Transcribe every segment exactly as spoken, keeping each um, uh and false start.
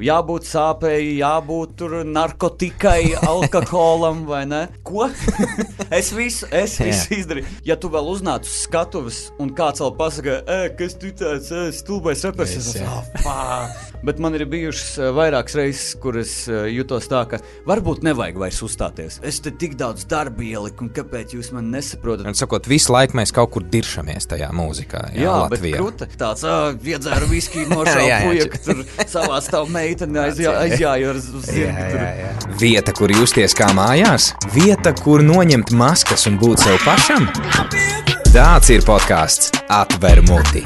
jābūt sāpēji, jābūt tur narkotikai, alkoholam, vai ne? Ko? es visu, es visu izdarīju. Ja tu vēl uznāc uz skatuves un kāds vēl pasaka, e, kas tu tāds, e, stulbais repers, es esmu, oh, bet man ir bijušas vairākas reizes, kur es jutos tā, ka varbūt nevajag vairs uzstāties. Es te tik daudz darba ieliku, un kāpēc jūs man nesaprotat? Un sakot, visu laiku mēs kaut kur diršamies tajā mūzikā, jā, jā Latvijā. Bet kruta, tāds, ā, iedzēru viskiju nošauja puja, ka tur savā stāv meiteni aizjā, aizjāju ar zirgu. Vieta, kur justies kā mājās, vieta, kur noņemt maskas un būt sev pašam. Tāds ir podcasts Atver muti.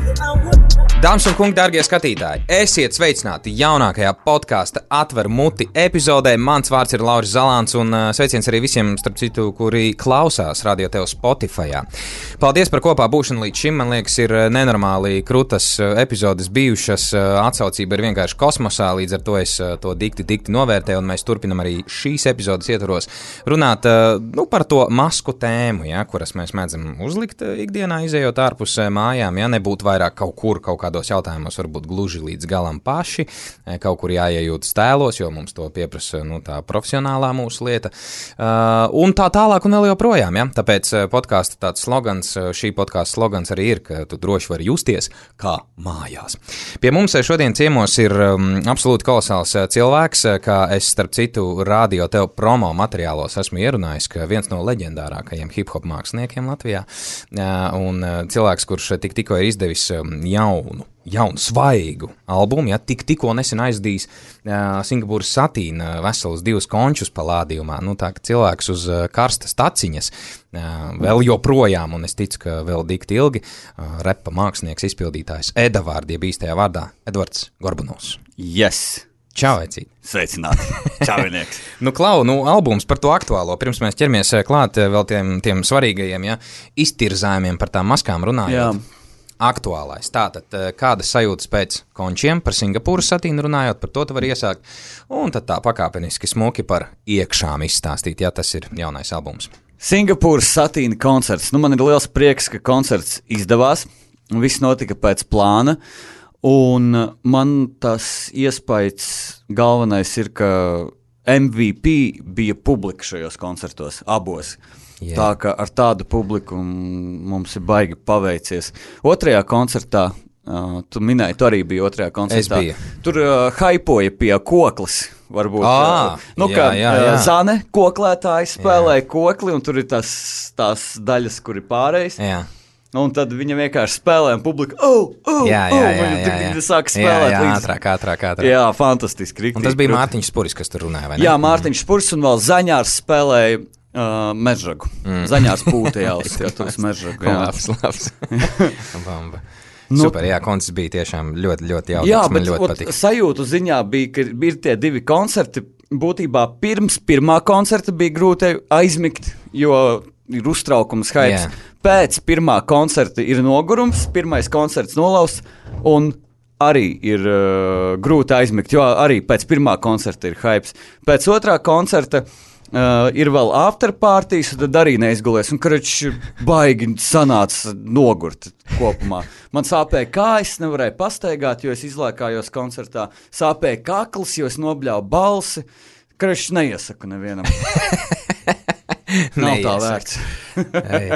Dāmas un kungi, dārgie skatītāji, esiet sveicināti jaunākajā podkāsta Atver muti epizodē. Mans vārds ir Lauris Zalāns un sveiciens arī visiem, starp citu, kuri klausās Radio Tev Spotifyā. Paldies par kopā būšanu līdz šim. Man liekas, ir nenormāli krutas epizodes bijušas. Atsaucība ir vienkārši kosmosā, līdz ar to es to dikti, dikti novērtēju, un mēs turpinam arī šīs epizodes ietvaros runāt nu, par to masku tēmu, ja, kuras mēs mēdzam uzlikt ikdienā, izējot ārpus mājām, ja nebūtu vairāk kaut kur, kaut kādos jautājumos varbūt gluži līdz galam paši, kaut kur jāiejūtas tēlos, jo mums to pieprasa nu, tā profesionālā mūsu lieta. Uh, un tā tālāk un vēl joprojām, ja? Tāpēc podkāsta tāds slogans, šī podkāsta slogans arī ir, ka tu droši vari justies kā mājās. Pie mums šodien ciemos ir um, absolūti kolosāls cilvēks, kā es starp citu Radio Tev promo materiālos esmu ierunājis, ka viens no leģendārākajiem hip-hop māksliniekiem Latvijā uh, un uh, cilvēks, kurš tik tikko ir izdevis um, jaunu jaunu, svaigu albumu, ja tik, tikko nesen aizdīs uh, Singapūras satīna uh, veselus divus končus palādījumā, nu tā, ka cilvēks uz uh, karstas taciņas uh, vēl joprojām, un es ticu, ka vēl dikti ilgi, uh, repa mākslinieks izpildītājs Edavārdi, jeb īstajā vārdā, Edvards Gorbunovs. Yes! Čau, Ecīt! Sveicināti! Čaunieks! nu, Klau, nu, albums par to aktuālo, pirms mēs ķeramies klāt vēl tiem, tiem svarīgajiem, ja, iztirzājumiem par tām maskām runājot. Jā. Aktuālais. Tātad, kādas sajūtas pēc končiem par Singapūras satīnu runājot, par to tu vari iesākt, un tad tā pakāpeniski smuki par iekšām izstāstīt, ja tas ir jaunais albums. Singapūras satīna koncerts. Nu, man ir liels prieks, ka koncerts izdevās, viss notika pēc plāna, un man tas iespējas galvenais ir, ka M V P bija publika šajos koncertos, abos. Yeah. Tā kā ar tādu publiku mums ir baigi paveicies. Otrajā koncertā, uh, tu minēji, tu arī biji otrajā koncertā. Tur uh, haipoja pie koklis, varbūt. Ah, uh, nu, jā, kā jā, jā. Uh, Zane koklētāji spēlēja jā. kokli, un tur ir tas, tās daļas, kur ir pārējais. Jā. Un tad viņa vienkārši spēlēja, un publika, oh, oh, jā, jā, jā, oh, viņa jā, jā. tik sāk spēlēt. Jā, jā, līdz... ātrāk, ātrāk, ātrāk. Jā, fantastiski. Riktīgi, un tas bija proti. Mārtiņš Spuris, kas tur runāja, vai ne? Jā, Mārtiņš Spuris, un vēl Zaņārs spēlēja Uh, mežragu. Mm. Zaņās pūta jāuzskatos mežragu. Jā. Labs, labs. Bamba. Nu, super, jā, koncerts bija tiešām ļoti, ļoti jaudīgs. Jā, man bet ļoti ot, patika. Sajūtu ziņā bija, ka ir tie divi koncerti. Būtībā pirms pirmā koncerta bija grūti aizmigt, jo ir uztraukums, haips. Yeah. Pēc pirmā koncerta ir nogurums, pirmais koncerts nolausts, un arī ir uh, grūti aizmigt, jo arī pēc pirmā koncerta ir haips. Pēc otrā koncerta Uh, ir vēl afterpartijas, un tad arī neizgulies, un karači baigi sanāca nogurt kopumā. Man sāpēja kājas, nevarēja pastaigāt, jo es izlēkājos koncertā. Sāpēja kakls, jo es nobļāvu balsi. Karači neiesaku nevienam. Nav tā vērts. Ei,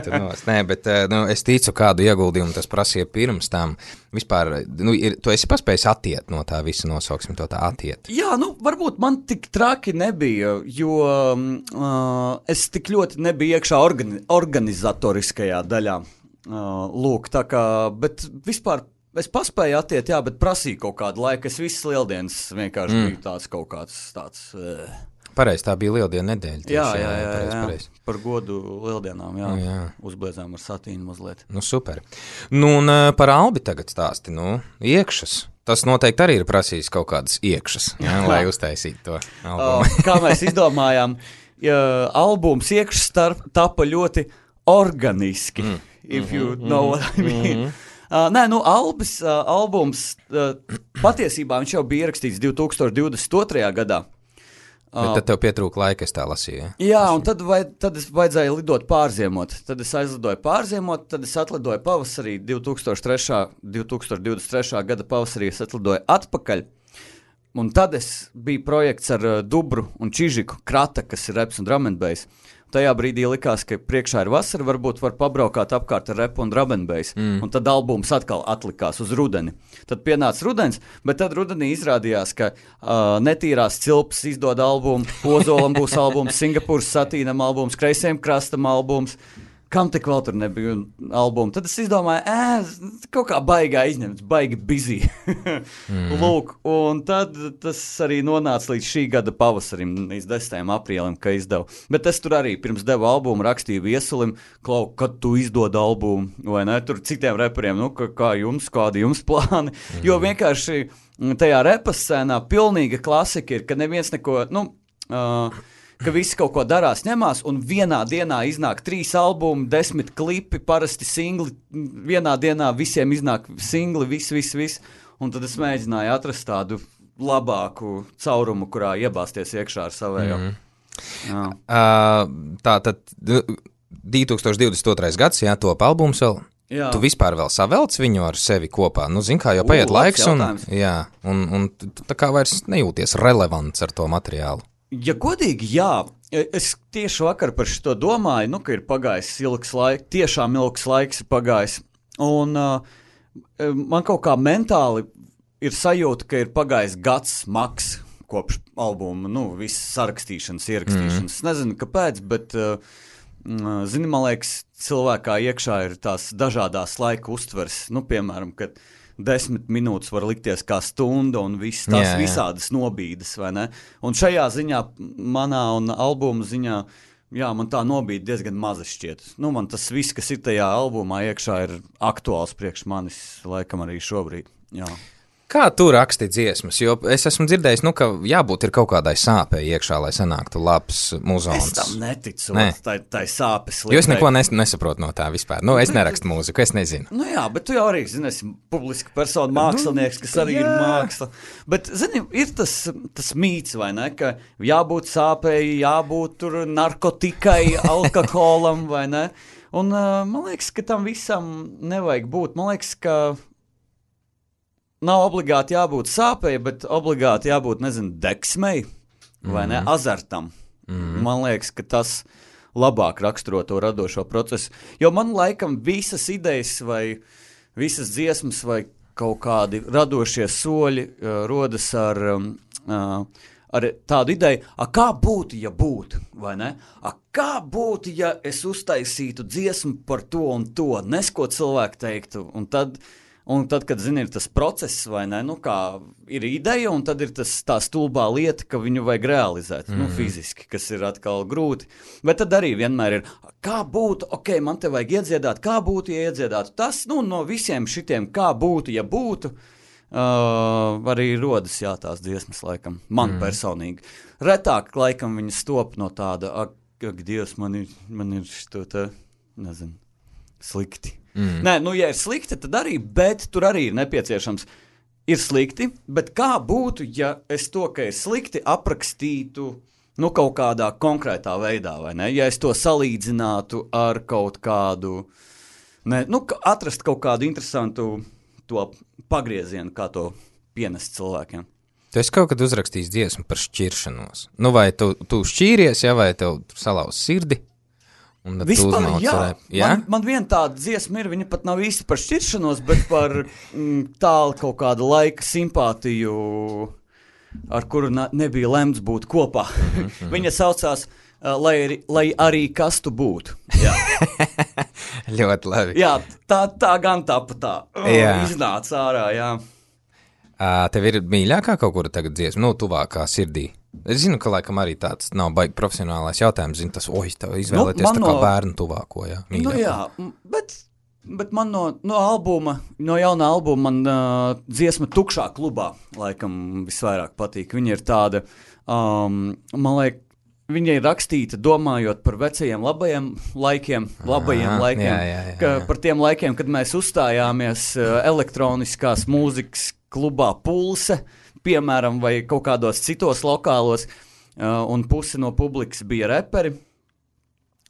Nē, bet nu, es ticu, kādu ieguldījumu tas prasīja pirms tam. Vispār, nu, ir, tu esi paspējis atiet no tā visa, nosauksim to tā atiet. Jā, nu, varbūt man tik traki nebija, jo uh, es tik ļoti nebiju iekšā organi- organizatoriskajā daļā. Uh, lūk, tā kā, bet vispār es paspēju atiet, jā, bet prasīju kaut kādu laiku. Es visas lieldienas vienkārši mm. biju tāds kaut kāds tāds... Uh, Pareiz, tā bija lieldiena nedēļa. Tieši, jā, jā, jā, jā, pareiz, jā. Pareiz. Par godu lieldienām, jā, jā. Uzbliedzām ar satīnu mazliet. Nu, super. Nu, un par Albi tagad stāsti, nu, iekšas. Tas noteikti arī ir prasījis kaut kādas iekšas, jā, lai uztaisītu to albumu. uh, kā mēs izdomājām, ja, albums iekšas tapa ļoti organiski, mm. if you mm-hmm, know what I mean. Mm-hmm. Uh, nē, nu, Albis, uh, albums, uh, patiesībā viņš jau bija ierakstīts divtūkstoš divdesmit otrajā gadā. Bet tad tev pietrūka laika, es tā lasīju. Ja? Jā, un tad, vai, tad es vajadzēja lidot pārziemot. Tad es aizlidoju pārziemot, tad es atlidoju pavasarī, divtūkstoš divdesmit trešā gada pavasarī es atlidoju atpakaļ. un tad es biju projekts ar uh, Dubru un Čižiku, Krata, kas ir reps un drum and bass. Tajā brīdī likās, ka priekšā ir vasara, varbūt var pabraukāt apkārt ar repu un drum and bass. Mm. Un tad albums atkal atlikās uz rudeni. Tad pienāca rudens, bet tad rudenī izrādījās, ka uh, Netīrās cilpas izdod albumu, Ozolam būs albums, Singapūras satīnam albums, Kreisiem krastam albums. Kam tik vēl tur nebija albuma? Tad es izdomāju, ē, kaut kā baigā izņemts, baigi busy. mm. Lūk, un tad tas arī nonāca līdz šī gada pavasarim, līdz desmitajam aprīlim, ka izdevu. Bet es tur arī pirms devu albumu, rakstīju Viesulim, Klau, kad tu izdod albumu, vai ne? Tur citiem reperiem, nu, kā, kā jums, kādi jums plāni. Mm. Jo vienkārši tajā repa scēnā pilnīga klasika ir, ka neviens neko, nu... Uh, ka visi kaut ko darās, ņemās, un vienā dienā iznāk trīs albumi, desmit klipi, parasti singli, vienā dienā visiem iznāk singli, viss, viss, viss, un tad es mēģināju atrast tādu labāku caurumu, kurā iebāzties iekšā ar savējo. Mm. Jā. Uh, tā tad divtūkstoš divdesmit otrais gads, jā, top albums vēl. Jā. Tu vispār vēl savelc viņu ar sevi kopā? Nu, zin kā, jau paiet laiks, un, jā, un, un tā kā vairs nejūties relevants ar to materiālu. Ja godīgi, jā, es tieši vakar par šito domāju, nu, ka ir pagājis ilgs laiks, tiešām ilgs laiks ir pagājis, un uh, man kaut kā mentāli ir sajūta, ka ir pagājis gads maks kopš albuma, nu, visas sarakstīšanas, ierakstīšanas. Mm. Es nezinu, kāpēc, bet, uh, zini, man liekas, cilvēkā iekšā ir tās dažādās laika uztvers, nu, piemēram, kad desmit minūtes var likties kā stunda un viss tās jā, jā. Visādas nobīdes, vai ne? Un šajā ziņā, manā un albuma ziņā, jā, man tā nobīde diezgan maza šķiet. Nu, man tas viss, kas ir tajā albumā iekšā, ir aktuāls priekš manis, laikam arī šobrīd, jā. Kā tu raksti dziesmas? Jo es esmu dzirdējis, nu, ka jābūt ir kaut kādai sāpei iekšā, lai sanāktu labs muzons. Es tam neticu, ne. tai, tai sāpes liek. Jo es neko nes, nesaprotu no tā vispār. Nu, es nerakstu mūziku, es nezinu. Nu jā, bet tu jau arī, zini, esi publiska persona, mākslinieks, kas arī jā. Ir māksla. Bet, zini, ir tas, tas mīts, vai ne, ka jābūt sāpei, jābūt tur narkotikai, alkoholam, vai ne? Un uh, man liekas, ka tam visam nevajag būt. Man liekas, ka nav obligāti jābūt sāpei, bet obligāti jābūt, nezinu, deksmei vai mm. ne, azartam. Mm. Man liekas, ka tas labāk raksturo to radošo procesu. Jo man laikam visas idejas vai visas dziesmas vai kaut kādi radošie soļi uh, rodas ar, um, uh, ar tādu ideju, a kā būtu, ja būtu, vai ne? A kā būtu, ja es uztaisītu dziesmu par to un to, nes ko cilvēku teiktu, un tad... Un tad, kad, zini, ir tas process, vai ne, nu kā ir ideja, un tad ir tas tā stulbā lieta, ka viņu vajag realizēt, mm. nu, fiziski, kas ir atkal grūti. Bet tad arī vienmēr ir, kā būtu, ok, man te vajag iedziedāt, kā būtu, ja iedziedātu. Tas, nu, no visiem šitiem, kā būtu, ja būtu, uh, arī rodas, jā, tās dziesmas, laikam, man mm. personīgi. Retāk, laikam, viņas top no tāda, ak, ak Dievs, man ir, man ir šito te, nezinu, slikti. Mm. Nē, nu, ja ir slikti, tad arī, bet tur arī ir nepieciešams. Ir slikti, bet kā būtu, ja es to, ka ir slikti, aprakstītu, nu, kaut kādā konkrētā veidā, vai ne? Ja es to salīdzinātu ar kaut kādu, ne, nu, atrast kaut kādu interesantu to pagriezienu, kā to pienest cilvēkiem. Tu esi kaut kad uzrakstījis dziesmu par šķiršanos. Nu, vai tu, tu šķīries, ja, vai tev salauz sirdi? Vispār, jā. jā? Man, man viena tāda dziesma ir, viņa pat nav īsti par šķiršanos, bet par mm, tālu kaut kādu laika simpātiju, ar kuru na, nebija lemts būt kopā. Mm-hmm. Viņa saucās, uh, lai, lai arī kas tu būtu. Jā. Ļoti labi. Jā, tā, tā gan tā pa tā. Oh, iznāca ārā, jā. Uh, tev ir mīļākā kaut kura tagad dziesma, nu, tuvākā sirdī? Es zinu, ka laikam arī tāds nav baigi profesionālais jautājums, zinu, tas, oj, tev izvēlēties nu, tā kā no, bērnu tuvāko, jā. Mīļāko. Nu jā, bet, bet man no, no albuma, no jaunā albuma man uh, dziesma Tukšā klubā laikam visvairāk patīk. Viņa ir tāda, um, man liek, viņa ir rakstīta domājot par vecajiem labajiem laikiem, labajiem Aha, laikiem, jā, jā, jā, ka, jā. Par tiem laikiem, kad mēs uzstājāmies uh, elektroniskās mūzikas klubā Pulse, piemēram, vai kaut kādos citos lokālos, uh, un pusi no publikas bija reperi,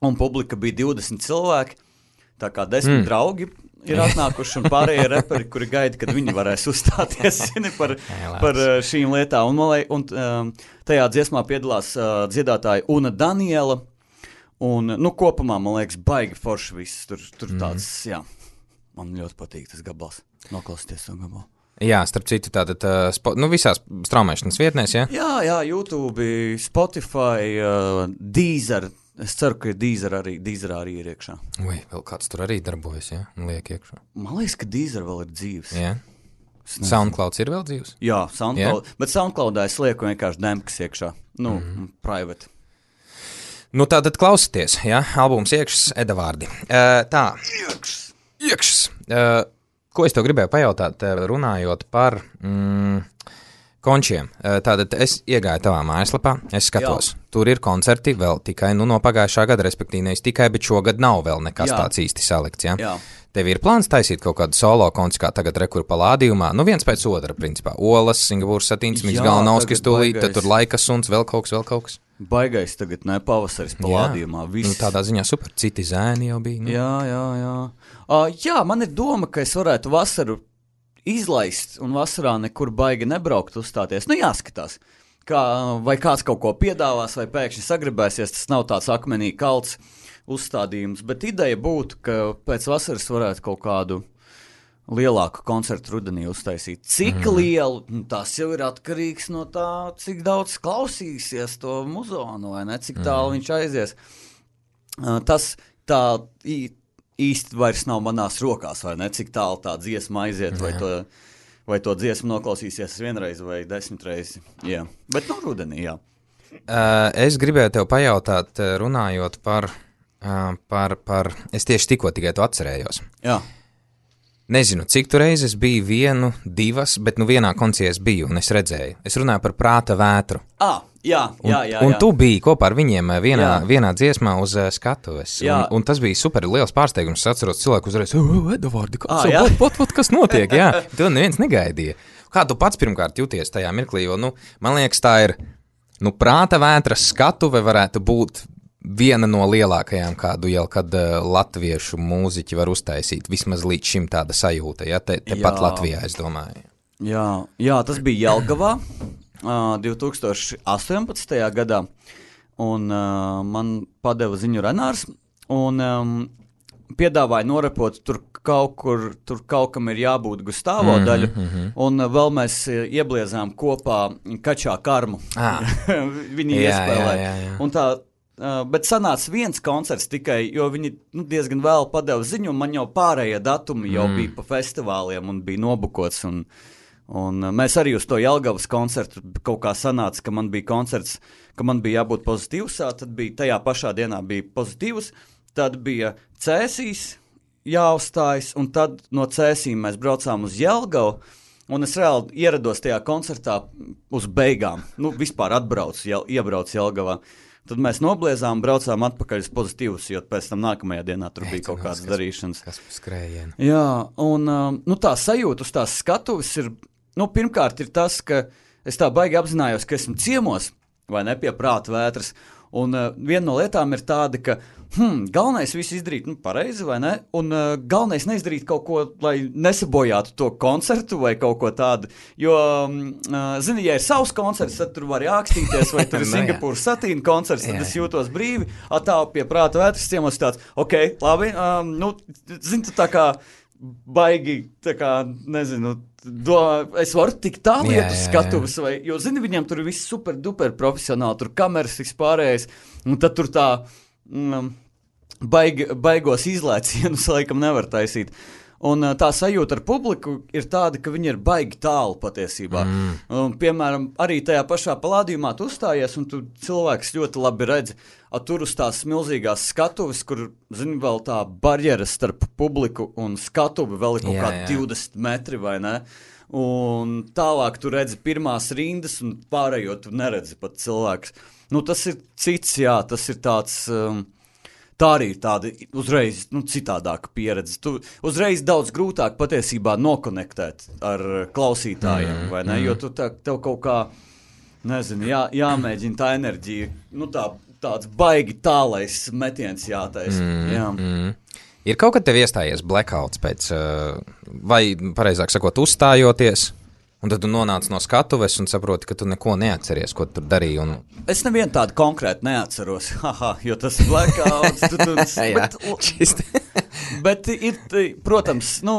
un publika bija divdesmit cilvēki, tā kā desmit mm. draugi, ir atnākuši un pārējie reperi, kuri gaida, kad viņi varēs uzstāties par, par šīm lietām. Un, man, un um, tajā dziesmā piedalās uh, dziedātāja Una Daniela. Un, nu, kopumā, man liekas, baigi forši viss. Tur, tur tāds, mm. jā, man ļoti patīk tas gabals. Noklausīties to gabalu. Jā, starp citu, tātad, uh, spo, nu, visās straumēšanas vietnēs, jā? Jā, jā, YouTube, Spotify, uh, Deezer. Es ceru, ka Deezer arī, Deezer arī ir iekšā. Ui, vēl kāds tur arī darbojas, jā? Liek iekšā. Man liekas, ka Deezer vēl ir dzīves. Jā. SoundClouds ir vēl dzīves? Jā, SoundCloud. Jā? Bet SoundCloudā es lieku vienkārši demkas iekšā. Nu, mm-hmm. private. Nu, tātad klausieties, jā? Albums Iekšs, Eda vārdi. Uh, tā. Iekšs. Iekšs. Uh, Ko es tev gribēju pajautāt, runājot par mm, končiem? Tātad es iegāju tavā mājaslapā, es skatos, Jā. Tur ir koncerti vēl tikai nu, no pagājušā gada, respektīvi nevis tikai, bet šogad nav vēl nekas Jā. Tāds īsti salikts. Ja? Jā. Tev ir plāns taisīt kaut kādu solo konci, kā tagad rekur palādījumā, nu viens pēc otra, principā. Olas, Singapūras satīns, Mīgs Galnauskas tūlīt, tad tur Laika suns, vēl kaut kas, vēl kaut kas. Baigais tagad, ne, pavasaris palādījumā. Nu, tādā ziņā super, citi zēni jau bija. Nu. Jā, jā, jā. Uh, jā, man ir doma, ka es varētu vasaru izlaist un vasarā nekur baigi nebraukt uzstāties. Nu, jāskatās, kā, vai kāds kaut ko piedāvās, vai pēkšņi sagribēsies, tas nav tāds akmenī kalts uzstādījums, bet ideja būtu, ka pēc vasaras varētu kaut kādu lielāku koncertu rudenī uztaisīt. Cik mm. lielu, tas jau ir atkarīgs no tā, cik daudz klausīsies to muzonu, vai ne, cik tālu mm. viņš aizies. Uh, tas tā īsti vairs nav manās rokās, vai ne, cik tālu tā dziesma aiziet, vai to, vai to dziesmu noklausīsies vienreiz vai desmitreiz. Jā. Bet no rudenī, jā. Uh, es gribēju tev pajautāt, runājot par, uh, par, par, es tieši tikko tikai to atcerējos. Jā. Nezinu, cik tu reizes biju vienu, divas, bet nu vienā konciertā es biju un es redzēju. Es runāju par Prāta vētru. Ah, jā, jā, jā. Un, un tu biji kopā ar viņiem vienā, vienā dziesmā uz uh, skatuves. Un, un tas bija super liels pārsteigums. Es atceros cilvēku uzreiz, Eda vārdi, kas, ah, pat, pat, pat, kas notiek? Jā, to neviens negaidīja. Kā tu pats pirmkārt jūties tajā mirklī? Jo, nu, man liekas, tā ir, nu, Prāta vētras skatuve varētu būt viena no lielākajām, kādu jau kad uh, latviešu mūziķi var uztaisīt, vismaz līdz šim tāda sajūta, ja, te, te pat Latvijā, es domāju. Jā, jā, tas bija Jelgavā uh, divi tūkstoši astoņpadsmitajā gadā, un uh, man padeva ziņu Renārs, un um, piedāvāja norepot tur kaut kur, tur kaut kam ir jābūt Gustavo mm-hmm, daļu, mm-hmm. un uh, vēl mēs iebliezām kopā Kačā Karmu. Ah. Viņi jā, iespēlē. Jā, jā, jā. Un tā, Uh, bet sanāca viens koncerts tikai, jo viņi nu, diezgan vēl padeva ziņu, un man jau pārējie datumi jau mm. bija pa festivāliem un bija nobukots. Un, un uh, mēs arī uz to Jelgavas koncertu kaut kā sanāca, ka man bija koncerts, ka man bija jābūt pozitīvs, tad bija tajā pašā dienā bija pozitīvs, tad bija Cēsīs jāuzstājas, un tad no Cēsīm mēs braucām uz Jelgavu, un es reāli ierados tajā koncertā uz beigām. Nu, vispār atbraucu, jel, iebraucu Jelgavā. Tad mēs nobliezām, braucām atpakaļ uz pozitīvus, jo pēc tam nākamajā dienā tur bija kaut kādas darīšanas. Kas skrējiena. Jā, un nu, tā sajūta uz tās skatuves ir, nu, pirmkārt ir tas, ka es tā baigi apzinājos, ka esmu ciemos, vai ne, pie Prāta vētras, un uh, viena no lietām ir tāda, ka hmm, galvenais visu izdarīt, nu, pareizi, vai ne, un uh, galvenais neizdarīt kaut ko, lai nesabojātu to koncertu vai kaut ko tādu, jo, uh, zini, ja ir savs koncerts, tad tur var jākstīties, vai tur ir Singapūras satīna koncerts, tad es jūtos brīvi, atāvu pie Prāta vētras ciemos tāds, ok, labi, um, nu, zini, tu tā kā baigi, tā kā, nezinu, do, es varu tik tālu iet uz skatuves, vai, jo, zini, viņiem tur viss super duper profesionāli, tur kameras vispārējais, un tad tur tā mm, baig, baigos izlēcienus laikam nevar taisīt. Un tā sajūta ar publiku ir tāda, ka viņi ir baigi tālu patiesībā. Mm. Un, piemēram, arī tajā pašā palādījumā tu uzstājies, un tu cilvēks ļoti labi redzi, a, tur uz tās milzīgās skatuves, kur, zini, vēl tā barjera starp publiku un skatuvi vēl ir kaut jā, kā jā. divdesmit metri, vai ne? Un tālāk tu redzi pirmās rindas, un pārējo tu neredzi pat cilvēks. Nu, tas ir cits, jā, tas ir tāds... Um, Tā arī ir tāda uzreiz nu, citādāka pieredze. Tu uzreiz daudz grūtāk patiesībā nokonektēt ar klausītājiem, mm, vai ne? Mm. Jo tu tā, tev kaut kā, nezinu, jā, jāmēģina tā enerģija, nu tā, tāds baigi tālais metiens jātais. Mm, jā. Mm. Ir kaut kad tev iestājies blackouts pēc, vai, pareizāk sakot, uzstājoties, un tad tu nonāc no skatuves un saproti, ka tu neko neatceries, ko tu tur darīji. Un... Es nevienu tādu konkrēti neatceros, haha, jo tas ir blackouts. Tu, tu, bet, bet ir, protams, nu,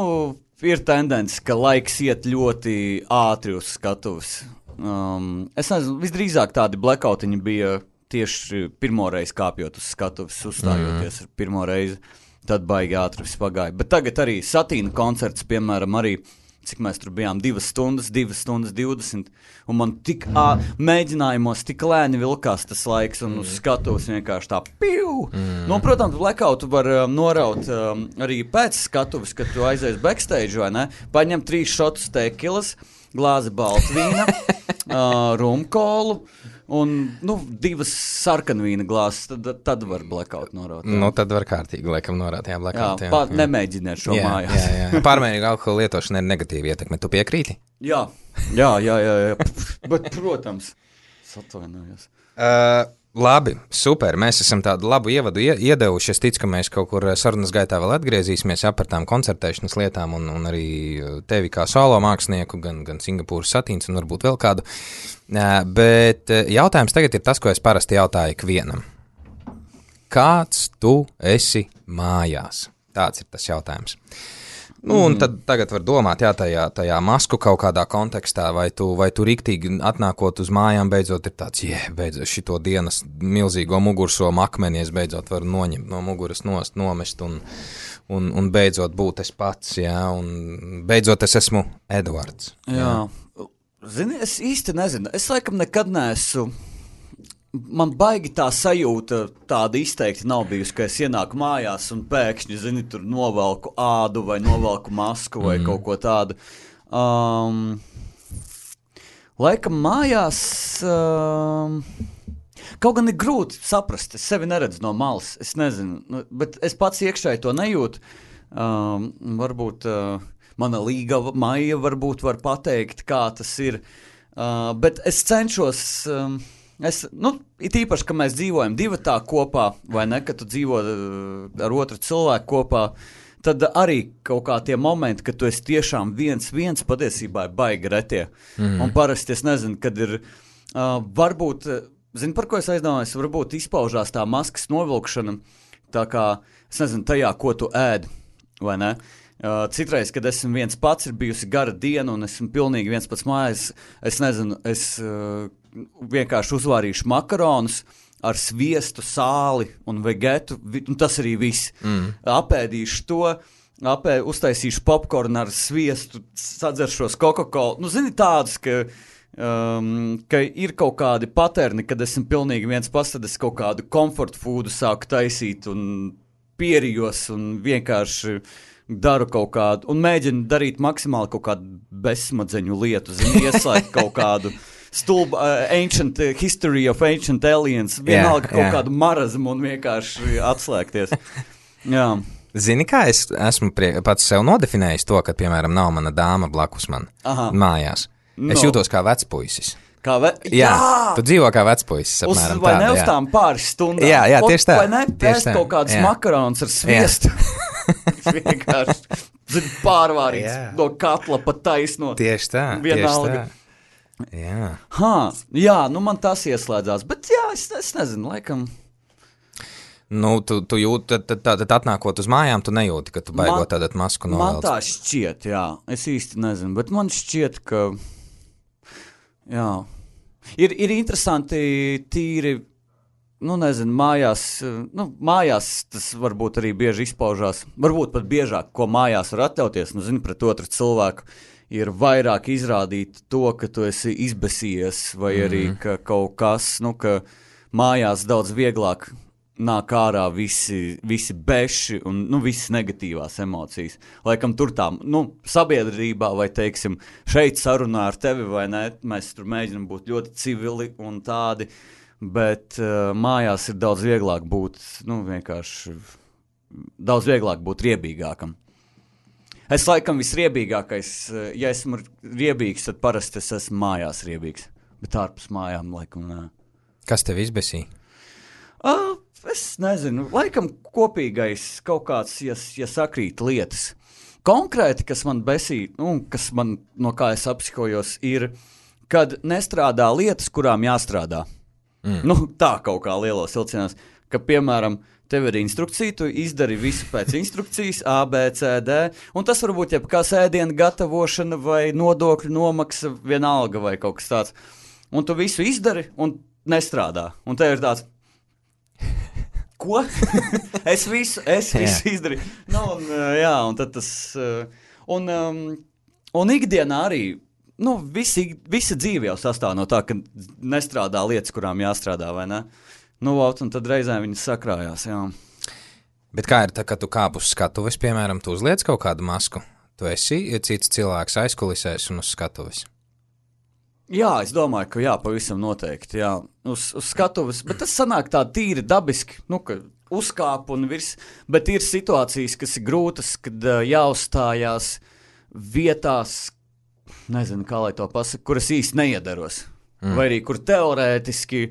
ir tendence, ka laiks iet ļoti ātri uz skatuves. Um, es nezinu, visdrīzāk tādi blackoutiņi bija tieši pirmoreiz kāpjot uz skatuves, uzstājoties mm. pirmo reizi, tad baigi ātri viss pagāja. Bet tagad arī Satīna koncerts, piemēram, arī, cik mēs tur bijām, divas stundas, divas stundas divdesmit, un man tik ā, mēģinājumos tik lēni vilkās tas laiks, un uz skatuves vienkārši tā piu! Mm. Nu, protams, blackoutu var um, noraut um, arī pēc skatuves, kad tu aizies backstage, vai ne? Paņem trīs šotus tekilas, glāzi baltvīna, uh, rumkolu, un, nu, divas sarkanvīna glāzes, tad, tad var blackout noraut. Jā. Nu, tad var kārtīgi, laikam, norāt, jā, blackout. Jā, pār, jā. Nemēģiniet šo jā, mājās. Jā, jā. Pārmērīga alkohola lietošana ir negatīva ietekme. Tu piekrīti? Jā, jā, jā, jā, jā. Bet, protams, atvainojos. Uh, labi, super. Mēs esam tādu labu ievadu iedevuši. Es ticu, ka mēs kaut kur sarunas gaitā vēl atgriezīsimies jā, par tām koncertēšanas lietām un, un arī tevi kā solo mākslinieku, gan, gan Singapūras Satīns un varbūt vēl kādu. Uh, bet jautājums tagad ir tas, ko es parasti jautāju ikvienam. Kāds tu esi mājās? Tāds ir tas jautājums. Nu, un tad tagad var domāt, jā, tajā, tajā masku kaut kādā kontekstā, vai tu, vai tu riktīgi atnākot uz mājām, beidzot ir tāds, jē, beidzot šito dienas milzīgo mugursomu akmeni, es beidzot varu noņemt no muguras nost, nomest un, un, un beidzot būt es pats, jā, un beidzot es esmu Edvards. Jā, jā. Zini, es īsti nezinu, es laikam nekad neesmu. Man baigi tā sajūta tāda izteikti nav bijusi, ka es ienāku mājās un pēkšņi, zini, tur novelku ādu vai novelku masku vai mm. kaut ko tādu. Um, laikam mājās, um, kaut gan ir grūti saprast, es sevi neredzu no malas, es nezinu, bet es pats iekšēji to nejūtu. Um, varbūt uh, mana līga Maija varbūt var pateikt, kā tas ir, uh, bet es cenšos... Um, Es, nu, it īpaši, ka mēs dzīvojam divatā kopā, vai ne, kad tu dzīvo ar otru cilvēku kopā, tad arī kaut kā tie momenti, kad tu esi tiešām viens, viens patiesībā ir baigi retie. Mm. Un parasti es nezinu, kad ir, uh, varbūt, zini, par ko es aizdomājos, varbūt izpaužās tā maskas novilkšana, tā kā, es nezinu, tajā, ko tu ēd, vai ne? Uh, citreiz, kad esmu viens pats, ir bijusi gara diena un esmu pilnīgi viens pats mājās, es nezinu, es... Uh, vienkārši uzvārīšu makaronus ar sviestu, sāli un vegetu, un tas arī viss. Mm. Apēdīšu to, apē, uztaisīšu popkornu ar sviestu, sadzeršos Coca-Cola. Nu, zini tādus, ka, um, ka ir kaut kādi paterni, kad esmu pilnīgi viens pats, tad es kaut kādu comfort foodu sāku taisīt un pierijos un vienkārši daru kaut kādu, un mēģinu darīt maksimāli kaut kādu bezsmadzeņu lietu, zini, ieslēgt kaut kādu stulba, uh, ancient uh, history of ancient aliens, vienalga yeah, kaut yeah. kādu marazmu un vienkārši atslēgties. Jā. Zini, kā es esmu prie, pats sev nodefinējis to, ka, piemēram, nav mana dāma blakus man Aha. mājās. Es no. jūtos kā vecpuisis. Kā ve... Jā, jā, tu dzīvo kā vecpuisis, apmēram uz, vai tāda, ne uz tām pāris stundām? Jā, jā, tieši tā. Vai ne, pēst kaut kādus makaronus ar sviestu. Vienkārši, zini, pārvārīts jā. no katla pa taisno. Tieši tā, vienalga. tieši tā. Jā. Ha, jā, nu man tas ieslēdzās, bet jā, es, es nezinu, laikam. Nu, tu, tu jūti, tad, tad, tad, tad atnākot uz mājām, tu nejūti, ka tu baigot tādat masku novelc. Man tā šķiet, jā, es īsti nezinu, bet man šķiet, ka, jā, ir, ir interesanti tīri, nu nezinu, mājās, nu mājās tas varbūt arī bieži izpaužās, varbūt pat biežāk, ko mājās var atļauties, nu zini, pret otru cilvēku. Ir vairāk izrādīt to, ka tu esi izbesījies, vai arī ka kaut kas, nu, ka mājās daudz vieglāk nāk ārā visi, visi beši un, nu, visas negatīvās emocijas. Laikam tur tā, nu, sabiedrībā vai, teiksim, šeit sarunā ar tevi vai ne, mēs tur mēģinam būt ļoti civili un tādi, bet uh, mājās ir daudz vieglāk būt, nu, vienkārši, daudz vieglāk būt riebīgākam. Es laikam visriebīgākais, ja esmu riebīgs, tad parasti es esmu mājās riebīgs, bet ārpus mājām laikam nē. Kas tev izbesīja? Uh, es nezinu, laikam kopīgais kaut kāds, ja, ja sakrīt lietas. Konkrēti, kas man besī, nu, kas man, no kā es apsikojos, ir, kad nestrādā lietas, kurām jāstrādā. Mm. Nu, tā kaut kā lielos vilcienos, ka, piemēram, tev ir instrukcija, tu izdari visu pēc instrukcijas, A, B, C, D, un tas varbūt jebkās ēdiena gatavošana vai nodokļu nomaksa, vienalga vai kaut kas tāds. Un tu visu izdari un nestrādā. Un tev ir tāds, ko? es visu, es visu izdarīju. Nu, un, jā, un tad tas, un, um, un ikdienā arī, nu, visi, visa dzīve jau sastāv no tā, ka nestrādā lietas, kurām jāstrādā, vai ne? Nu, un tad reizēm viņas sakrājās, jā. Bet kā ir tā, ka tu kāp uz skatuves, piemēram, tu uzliec kaut kādu masku? Tu esi cits cilvēks aizkulisēs un uz skatuves? Jā, es domāju, ka jā, pavisam noteikti, jā, uz, uz skatuves, bet tas sanāk tā tīri dabiski, nu, ka uzkāp un virs, bet ir situācijas, kas ir grūtas, kad uh, jāuzstājās vietās, nezinu, kā lai to pasaka, kuras īsti neiedaros, mm. vai arī kur teorētiski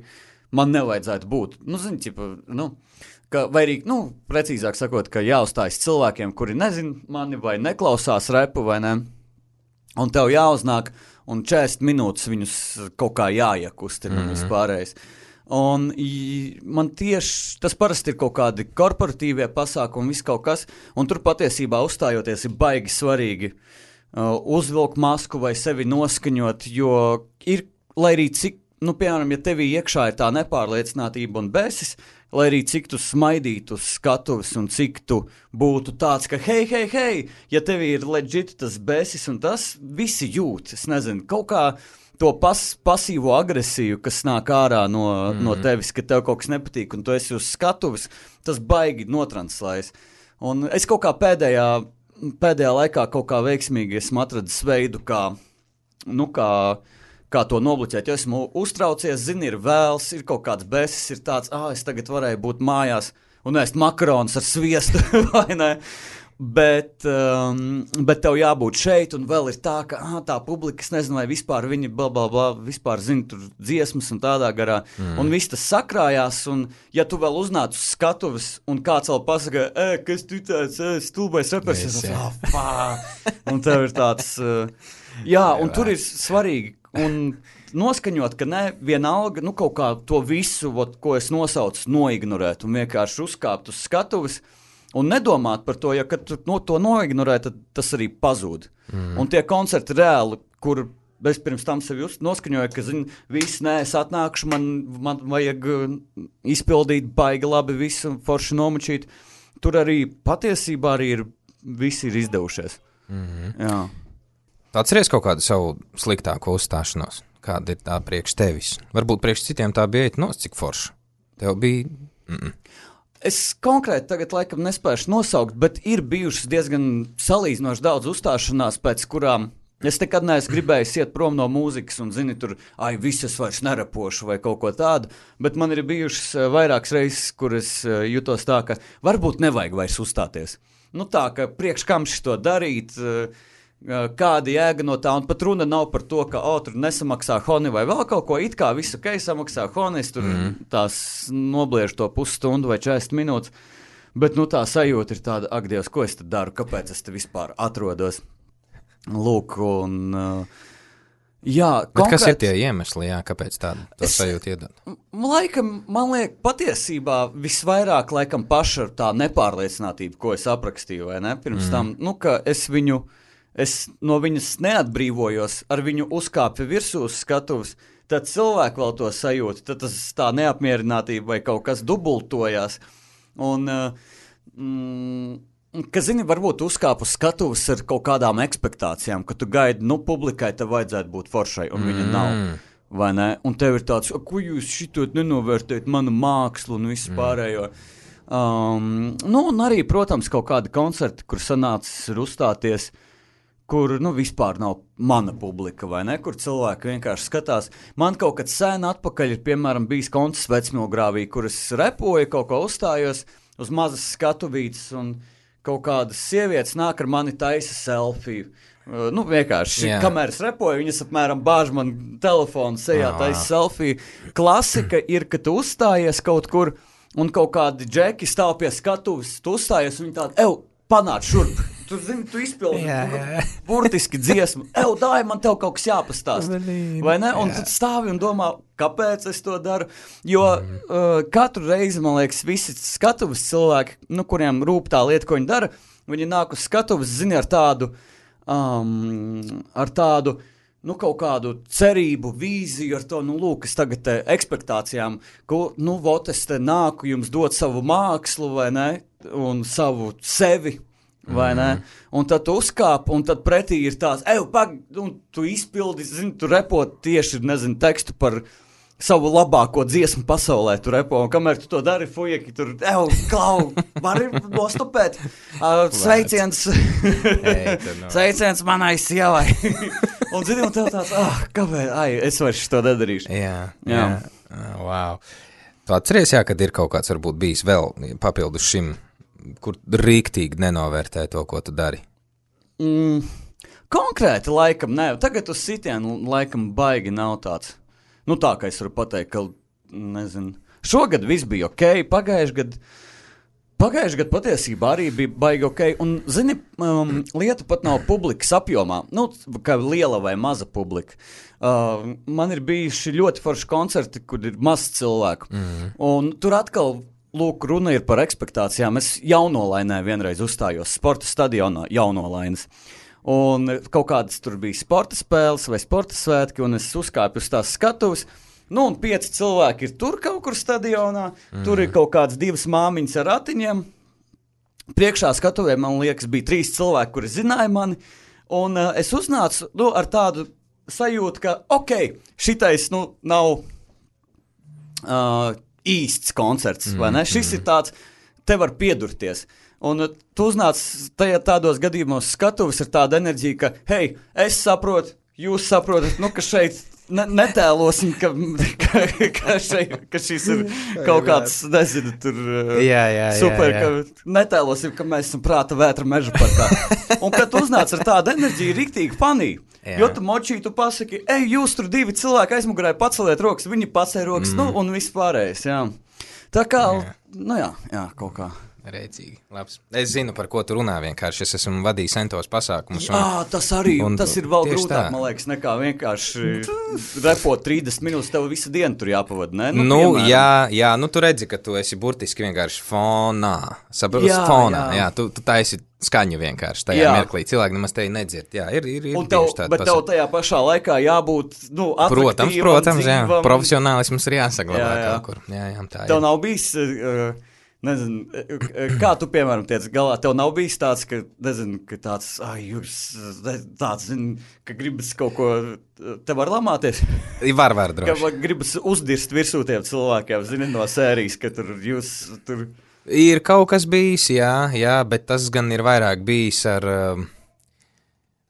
man nevajadzētu būt. Nu, zini, ķipa, nu, ka, vai arī, nu, precīzāk sakot, ka jāuzstājas cilvēkiem, kuri nezin mani vai neklausās repu vai ne, un tev jāuznāk, un četrdesmit minūtes viņus kaut kā jāiekustina mm-hmm. un vispārējais. Un man tieši tas parasti ir kaut kādi korporatīvie pasākumi, viss kaut kas, un tur patiesībā uzstājoties ir baigi svarīgi uh, uzvilkt masku vai sevi noskaņot, jo ir, lai arī cik, nu, piemēram, ja tevī iekšā ir tā nepārliecinātība un bēsis, lai arī cik tu smaidītu uz skatuves un cik tu būtu tāds, ka hei, hei, hei, ja tevī ir legit tas bēsis un tas, visi jūt, es nezinu, kaut kā to pas, pasīvo agresiju, kas nāk ārā no, mm-hmm. no tevis, ka tev kaut kas nepatīk un tu esi uz skatuves, tas baigi notranslējas. Un es kaut kā pēdējā, pēdējā laikā kaut kā veiksmīgi esmu atradis veidu, kā, nu, kā, kā to nobloķēt, jo esmu uztraucies, zini, ir vēls, ir kaut kāds bēsis, ir tāds, ah, es tagad varēju būt mājās un ēst makaronus ar sviestu, vai ne? Bet, um, bet tev jābūt šeit, un vēl ir tā, ka ah, tā publika, es nezinu, vai vispār viņi bla, bla, bla, vispār zina tur dziesmas un tādā garā, mm. un viss tas sakrājās, un ja tu vēl uznāc uz skatuves, un kāds vēl pasaka, e, kas tu tāds, e, stulbais repers, es tāds, ah, pā, un tev ir tāds, uh, jā, un tur ir svarīgi, un noskaņot, ka ne vienalga, nu kaut kā to visu, ot, ko es nosaucu, noignorēt, un vienkārši uzkāpt uz skatuves, un nedomāt par to, ja kad tu no, to noignorē, tad tas arī pazūd. Mm. Un tie koncerti reāli, kur es pirms tam sevi noskaņoju, ka, zini, viss, nē, es atnākšu, man, man vajag izpildīt baigi labi visu, forši nomačīt. Tur arī patiesībā arī ir, visi ir izdevušies. Mm-hmm. Jā. Atceries kaut kādu savu sliktāko uzstāšanos? Kāda ir tā priekš tevis? Varbūt priekš citiem tā bija nos, cik forša. Tev bija... Mm-mm. Es konkrēti tagad laikam nespēšu nosaukt, bet ir bijušas diezgan salīdzinoši daudz uzstāšanās, pēc kurām es nekad neesmu gribējis iet prom no mūzikas un, zini, tur, ai, visas vairs nerapošu vai kaut ko tādu, bet man ir bijušas vairākas reizes, kur es jutos tā, ka varbūt nevajag vairs uzstāties. Nu tā, ka priekš kam šito darīt, kāda jēga no tā, un pat runa nav par to, ka, o, tur nesamaksā honi vai vēl kaut ko, it kā visu, ok, samaksā honi, es tur mm. tās nobliežu to pusstundu vai četrdesmit minūtes, bet, nu, tā sajūta ir tāda, ak, Dievs, ko es te daru, kāpēc es te vispār atrodos? Lūk, un, uh, jā, bet konkrēt... kas ir tie iemesli, jā, kāpēc tādu to es, sajūtu iedod? Laikam, man liek, patiesībā visvairāk, laikam, paša tā nepārliecinātība, ko es aprakstīju, vai ne, pirms mm. tam, nu, ka es viņu... Es no viņas neatbrīvojos, ar viņu uzkāpi virsū uz skatuves, tad cilvēki vēl to sajūta, tad tas tā neapmierinātība vai kaut kas dubultojās. Un, mm, ka, zini, varbūt uzkāp uz skatuves ar kaut kādām ekspektācijām, ka tu gaidi, nu, publikai tev vajadzētu būt foršai, un viņa mm. nav, vai ne? Un tev ir tāds, ko jūs šitot nenovērtējat manu mākslu un visu mm. pārējo. Um, nu, un arī, protams, kaut kādi koncerti, kur sanācis ir uzstāties, kur, nu, vispār nav mana publika, vai ne, kur cilvēki vienkārši skatās. Man kaut kad sen atpakaļ ir, piemēram, bijis koncerts Vecmilgrāvī, kur es repoju, kaut ko uzstājos uz mazas skatuvītes, un kaut kādas sievietes nāk ar mani taisa selfiju. Uh, nu, vienkārši, yeah. kamēr es repoju, viņas apmēram bāž man telefonu sejā, taisa selfiju. Klasika ir, ka tu uzstājies kaut kur, un kaut kādi džeki stāv pie skatuves, tu uzstājies, un viņi tādi, ev, panāc šurp. Tu zini, tu izpildi burtiski dziesmu. Ev, dāj, man tev kaut kas jāpastāst. Vai ne? Un tad stāvi un domā, kāpēc es to daru. Jo mm. uh, katru reizi, man liekas, visi skatuves cilvēki, nu, kuriem rūp tā lieta, ko viņi dara, viņi nāk uz skatuves, zini, ar tādu, um, ar tādu, nu, kaut kādu cerību, vīziju ar to, nu, lūk, es tagad te ekspektācijām, ko, nu, vot, es te nāku jums dot savu mākslu, vai ne, un savu sevi, vai ne, un tad tu uzkāp, un tad pretī ir tās, eju, pag, un tu izpildi, zini, tu repot tieši, nezinu, tekstu par savu labāko dziesmu pasaulē, tu repo, un kamēr tu to dari, fujeki, tur, eju, klau, vari nostupēt, uh, sveiciens, hey, no. sveiciens manai sievai. Un zini, un tev tāds, ah, kāpēc, ai, es vairs to nedarīšu. Jā, jā, jā. Wow. Tu atceries, jā, kad ir kaut kāds varbūt bijis vēl papildus šim, kur rīktīgi nenovērtē to, ko tu dari? Mm, konkrēti laikam, ne, tagad uz sitienu laikam baigi nav tāds. Nu tā, ka es varu pateikt, ka, nezinu, šogad viss bija ok, pagājuši gadu, pagājuši gadu patiesībā arī bija baigi ok, un, zini, um, lieta pat nav publikas apjomā, nu, kā liela vai maza publika. Uh, man ir bijuši ļoti forši koncerti, kur ir maz cilvēku, mm. un tur atkal, lūk, runa ir par ekspektācijām. Es Jaunolainē vienreiz uzstājos sporta stadionā Jaunolainas. Un kaut kādas tur bija sporta spēles vai sporta svētki, un es uzkāpu uz tās skatuves. Nu, un pieci cilvēki ir tur kaut kur stadionā. Mm. Tur ir kaut kādas divas māmiņas ar ratiņiem. Priekšā skatuvē, man liekas, bija trīs cilvēki, kuri zināja mani. Un uh, es uznācu nu, ar tādu sajūtu, ka, ok, šitais nu, nav uh, īsts koncerts, mm. vai ne? Šis mm. ir tāds, te var piedurties. Un tu uznāc tajā tādos gadījumos skatuves ar tādu enerģiju, ka, hei, es saprotu, jūs saprotat, nu, ka šeit ne, netēlosim, ka, ka, ka, šeit, ka šis ir kaut kāds, nezinu, tur jā, jā, super, jā, jā. ka netēlosim, ka mēs esam prāta vētra meža parkā. Un kad tu uznāc ar tādu enerģiju, riktīgi panī, jo tu močī, tu pasaki, ej, jūs tur divi cilvēki aizmugurē paceliet rokas, viņi pacēja rokas, mm. nu, un viss pārējais, jā. Tā kā, jā. nu jā, jā, kaut kā. Rēcīgi, labs. Es zinu, par ko tu runā vienkārši. Es esmu vadījis centos pasākumus. Un, Jā, tas arī, un, tas ir vēl grūtāk, tā. Man liekas, nekā vienkārši repot trīsdesmit minūtes, tev visu dienu tur jāpavada, ne? Nu, nu piemēram. jā, jā, nu tu redzi, ka tu esi burtiski vienkārši fonā. Saprotu, fonā, jā, jā tu, tu taisi skaņu vienkārši tajā jā. mirklī. Cilvēki nemaz tevi nedzird. Jā, ir, ir, ir un tev, bet pasaka. Tev tajā pašā laikā jābūt, nu, atraktīvam. Protams, protams, jā. Profesionālisms ir jāsaglabā jā, jā. kaut kur. Jā, jā, tā tev ir. Nav bijis... Uh, Nezinu, kā tu, piemēram, tiec galā, tev nav bijis tāds, ka, nezinu, ka tāds, ai, jūs, tāds, zinu, ka gribas kaut ko, te var lamāties? Var, var, droši. Ka gribas uzdirst virsū tiem cilvēkiem, zini, no sērijas, ka tur jūs, tur... Ir kaut kas bijis, jā, jā, bet tas gan ir vairāk bijis ar...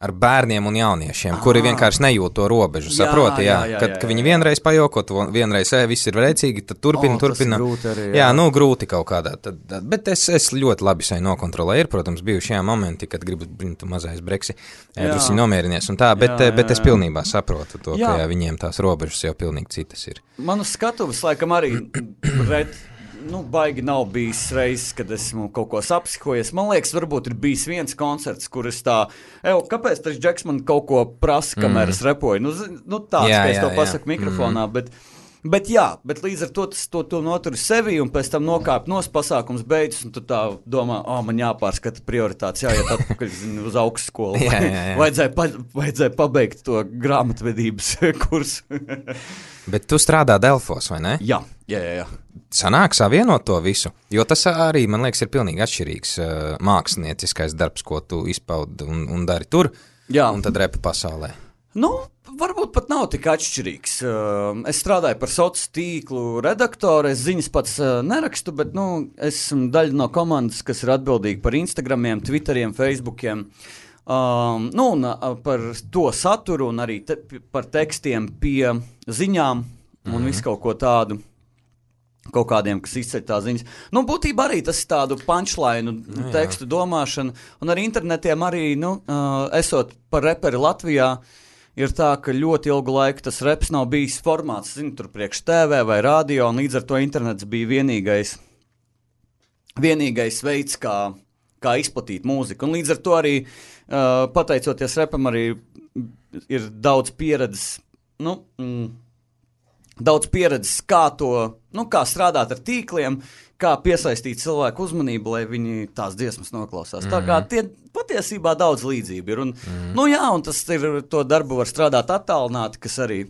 ar bērniem un jauniešiem, ah. kuri vienkārši nejūt to robežu, jā, saproti, jā, jā, jā, kad, jā, jā, ka viņi vienreiz pajokot, vienreiz, ē, viss ir rēcīgi, tad turpina, oh, turpina. Arī, jā. jā, nu, grūti kaut kādā, tad, tad, bet es, es ļoti labi sai nokontrolēju, ir, protams, bijuši jā momenti, kad gribu, tu mazais breksi, drusi nomierinies un tā, bet, jā, jā, jā. bet es pilnībā saprotu to, jā. ka jā, viņiem tās robežas jau pilnīgi citas ir. Manu skatuves laikam arī ret. Nu, baigi nav bijis reizes, kad esmu kaut ko sapsihojies. Man liekas, varbūt ir bijis viens koncerts, kur es tā, eju, kāpēc tas Džeks man kaut ko prasa, kamēr es repoju? Nu, nu tāds, jā, ka es to jā, pasaku jā. mikrofonā, mm. bet, bet jā, bet līdz ar to tas to, to noturi sevi un pēc tam nokāp nos pasākums beidzas un tu tā domā, ā, oh, man jāpārskata prioritātes, jāiet atpakaļ zinu, uz augstskolu. jā, jā, jā. vajadzēja, pa, vajadzēja pabeigt to grāmatvedības kursu. Bet tu strādā Delfos, vai ne? Jā, jā, jā. jā. Sanāk savienot to visu, jo tas arī, man liekas, ir pilnīgi atšķirīgs uh, mākslinieckais darbs, ko tu izpaudi un, un dari tur, jā. un tad repa pasaulē. Nu, varbūt pat nav tik atšķirīgs. Uh, es strādāju par sociālo tīklu redaktoru, es ziņas pats uh, nerakstu, bet nu, es esmu daļa no komandas, kas ir atbildīga par Instagramiem, Twitteriem, Facebookiem. Um, nu, un uh, par to saturu un arī te, par tekstiem pie ziņām un mm-hmm. visu kaut ko tādu, kaut kādiem, kas izceļ tā ziņas. Nu, būtībā arī tas ir tādu punchline nu, tekstu domāšanu, un arī internetiem arī, nu, uh, esot par reperi Latvijā, ir tā, ka ļoti ilgu laiku tas reps nav bijis formāts, zinu, tur priekš T V vai radio, un līdz ar to internets bija vienīgais vienīgais veids, kā, kā izplatīt mūziku. Un līdz ar to arī, uh, pateicoties repam, arī ir daudz pieredzes, nu, mm, daudz pieredzes, kā to, nu, kā strādāt ar tīkliem, kā piesaistīt cilvēku uzmanību, lai viņi tās dziesmas noklausās. Mm-hmm. Tā kā tie patiesībā daudz līdzību ir. Un, mm-hmm. Nu jā, un tas ir, to darbu var strādāt attālināti, kas arī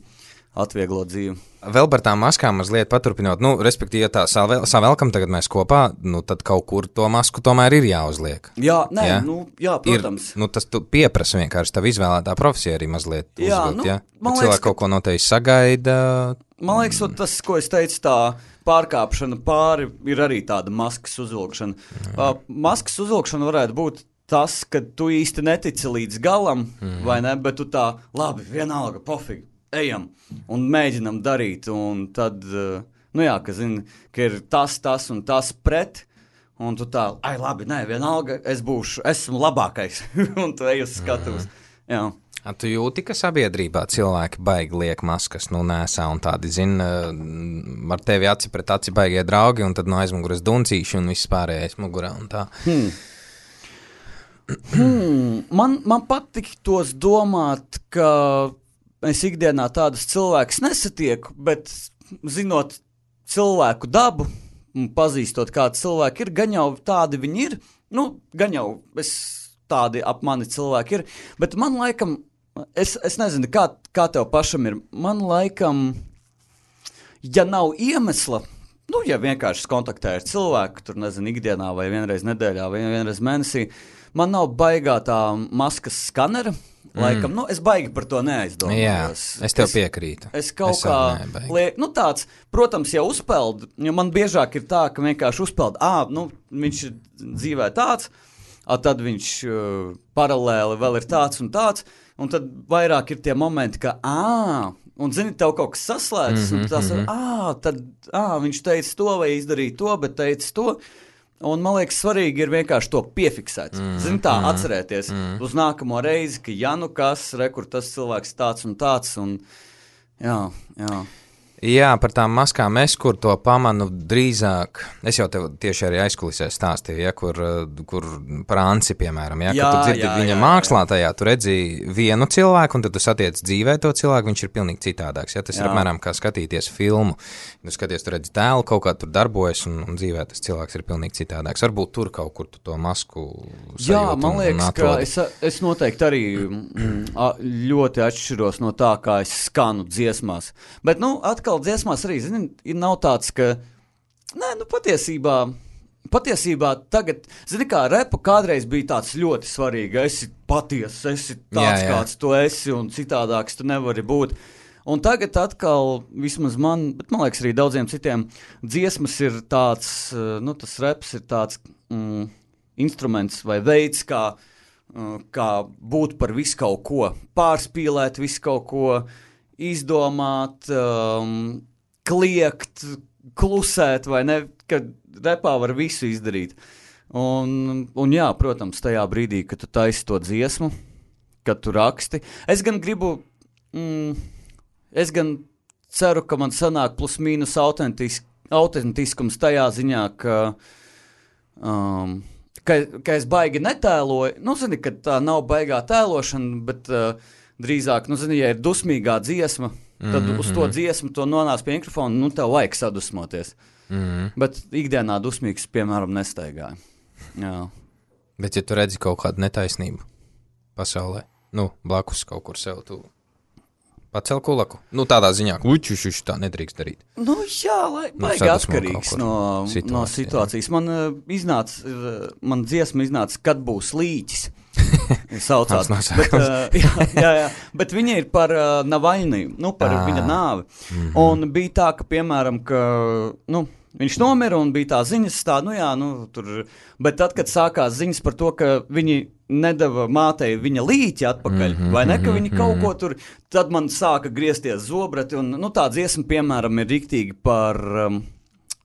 atvieglo dzīvi. Vēl par tām maskām mazliet paturpinot, nu, respektīvi, ja tā savēl, savēlkam tagad mēs kopā, nu, tad kaut kur to masku tomēr ir jāuzliek. Jā, nē, jā? Nu, jā, protams. Ir, nu, tas tu pieprasa vienkārši tavu izvēlētā profesija arī mazliet jā, uzvilkt, nu, ja? Man cilvēki liekas, kaut ko noteikti sagaida. Man liekas, tas, ko es teicu, tā pārkāpšana pāri ir arī tāda maskas uzvilkšana. Uh, maskas uzvilkšana varētu būt tas, ka tu īsti netici līdz galam, mm. vai ne, bet tu tā, labi, vienalga, pofīgi. Ejam un mēģinam darīt, un tad, nu jā, ka zini, ka ir tas, tas un tas pret, un tu tā, ai labi, nē, vienalga, es būšu, esmu labākais, un tu ej uz skatuves, jā. A, tu jūti, ka sabiedrībā cilvēki baigi liek maskas, nu nesā, un tādi, zin, ar tevi aci pret aci baigie draugi, un tad no aizmuguras duncīši, un viss pārējais mugurā, un tā. Hmm. Hmm. Man, man patīk tos domāt, ka es ikdienā tādus cilvēkus nesatieku, bet zinot cilvēku dabu un pazīstot, kādi cilvēki ir, gan jau tādi viņi ir, nu, gan jau es tādi ap mani cilvēki ir, bet man laikam, es, es nezinu, kā, kā tev pašam ir, man laikam, ja nav iemesla, nu, ja vienkārši kontaktē ar cilvēku, tur nezinu, ikdienā vai vienreiz nedēļā vai vienreiz mēnesī, man nav baigā tā maskas skanera, laikam, mm. nu, es baigi par to neaizdomājos. Jā, es tev es, piekrītu. Es kaut es kā, liek, nu tāds, protams, jau uzpeld, jo man biežāk ir tā, ka vienkārši uzpeld, ā, nu, viņš ir dzīvē tāds, a, tad viņš uh, paralēli vēl ir tāds un tāds, un tad vairāk ir tie momenti, ka, ā, un zini, tev kaut kas saslēdzas, mm-hmm, un tās, mm-hmm. ā, tad, ā, viņš teica to vai izdarīja to, bet teica to, un man liekas, svarīgi ir vienkārši to piefiksēt. Mm, Zini, tā mm, atcerēties mm. uz nākamo reizi, ka ja nu kas, re, kur tas cilvēks tāds un tāds, un jā, jā. Jā, par tām maskām es, kur to pamanu drīzāk, es jau tev tieši arī aizkulisē stāstīju, ja, kur, kur par Anci, piemēram, ja, jā, kad tu dzirdi jā, viņa jā, mākslā tajā, tu redzi vienu cilvēku, un tad tu satiec dzīvē to cilvēku, viņš ir pilnīgi citādāks, ja, tas jā. Ir apmēram kā skatīties filmu, tu skaties, tu redzi tēlu, kaut kā tur darbojas, un, un dzīvē tas cilvēks ir pilnīgi citādāks, varbūt tur kaut kur tu to masku sajūti. Jā, man liekas, ka es, es noteikti arī ļoti atšķiros no tā, kā es skanu dziesmās, bet, nu, atkal dziesmās arī, zini, nav tāds, ka, nē, nu, patiesībā, patiesībā tagad, zini, kā repa kādreiz bija tāds ļoti svarīgi, esi patiesas, esi tāds, jā, jā. Kāds tu esi, un citādāks tu nevari būt. Un tagad atkal, vismaz man, bet man liekas arī daudziem citiem, dziesmas ir tāds, nu, tas reps ir tāds mm, instruments vai veids, kā, kā būt par visu kaut ko, pārspīlēt visu kaut ko, izdomāt, um, kliegt, klusēt, vai ne, ka repā var visu izdarīt. Un, un jā, protams, tajā brīdī, kad tu taisi to dziesmu, kad tu raksti, es gan gribu, mm, es gan ceru, ka man sanāk plus mīnus autentisk, autentiskums tajā ziņā, ka, um, ka, ka es baigi netēloju, nu, zini, ka tā nav baigā tēlošana, bet uh, drīzāk, nu, zini, ja ir dusmīgā dziesma, tad mm-hmm. uz to dziesmu to nonāc pie mikrofona, nu, tev vajag sadusmoties. Mm-hmm. Bet ikdienā dusmīgs, piemēram, nestaigāja. Jā. Bet, ja tu redzi kaut kādu netaisnību pasaulē, nu, blakus kaut kur sev, tu pacel kulaku. Nu, tādā ziņā, ka uķušuši tā nedrīkst darīt. Nu, jā, lai baigi nu, atkarīgs no situācijas. No situācijas. Man uh, iznāca, uh, man dziesma iznāca, kad būs līķis. Saucās. bet, uh, jā, jā, jā. Bet viņa ir par uh, Navaļniju, nu, par à. Viņa nāvi. Mm-hmm. Un bija tā, ka, piemēram, ka, nu, viņš nomira un bija tā ziņas tā, nu jā, nu, tur, bet tad, kad sākās ziņas par to, ka viņi nedeva mātei viņa līķi atpakaļ, mm-hmm, vai ne, ka viņi kaut ko tur, tad man sāka griezties zobrati, un, nu, tā dziesma, piemēram, ir riktīgi par, um,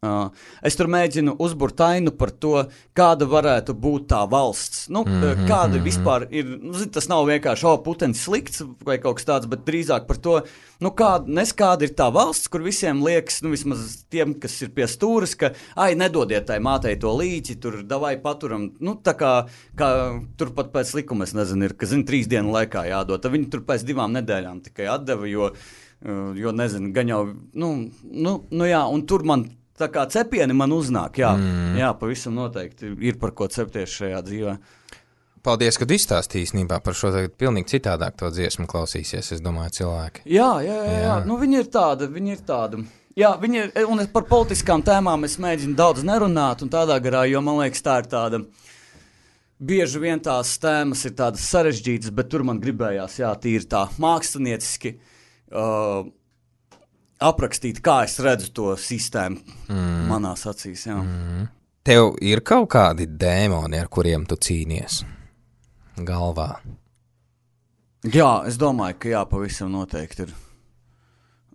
Uh, es tur mēģinu uzburt ainu par to, kāda varētu būt tā valsts. Nu, mm-hmm, kāda mm-hmm. vispār ir, nu, tas nav vienkārši, o, putenis slikts vai kaut kas tāds, bet drīzāk par to, nu, kāda, nes kāda ir tā valsts, kur visiem liekas, nu, vismaz tiem, kas ir pie stūras, ka, ai, nedodiet tai mātei to līķi, tur davai paturam, nu, tā kā, kā tur pat pēc likuma, es nezinu, ir, ka, zinu, trīs dienu laikā jādod, tad viņi tur pēc divām nedēļām tikai atdeva, jo, jo nezinu, gan jau, nu, nu, nu jā, un tur man tā kā cepieni man uznāk, jā, mm. jā, pavisam noteikti ir par ko cepties šajā dzīvē. Paldies, kad izstāstīji īstenībā par šo tagad pilnīgi citādāk to dziesmu klausīsies, es domāju, cilvēki. Jā, jā, jā, jā. Nu viņi ir tāda, viņi ir tāda. Jā, viņi ir, un par politiskām tēmām es mēģinu daudz nerunāt un tādā garā, jo man liekas tā ir tāda, bieži vien tās tēmas ir tādas sarežģītas, bet tur man gribējās, jā, tīri tā mākslinieciski, uh, aprakstīt, kā es redzu to sistēmu mm. manās acīs, jā. Mm. Tev ir kaut kādi dēmoni, ar kuriem tu cīnies galvā? Jā, es domāju, ka jā, pavisam noteikti ir.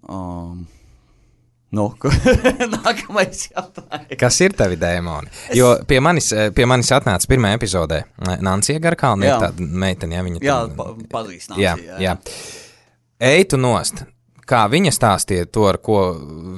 Um, nu, nākamais jautājums. Kas ir tavi dēmoni? Es... Jo pie manis, pie manis atnāca pirmā epizodē Nancija Garkalne, ir tāda meitene, ja viņa... Jā, tam... pa, pazīst Nancija, jā. jā. jā. Ej tu nost. Kā viņa stāstīja to, ar ko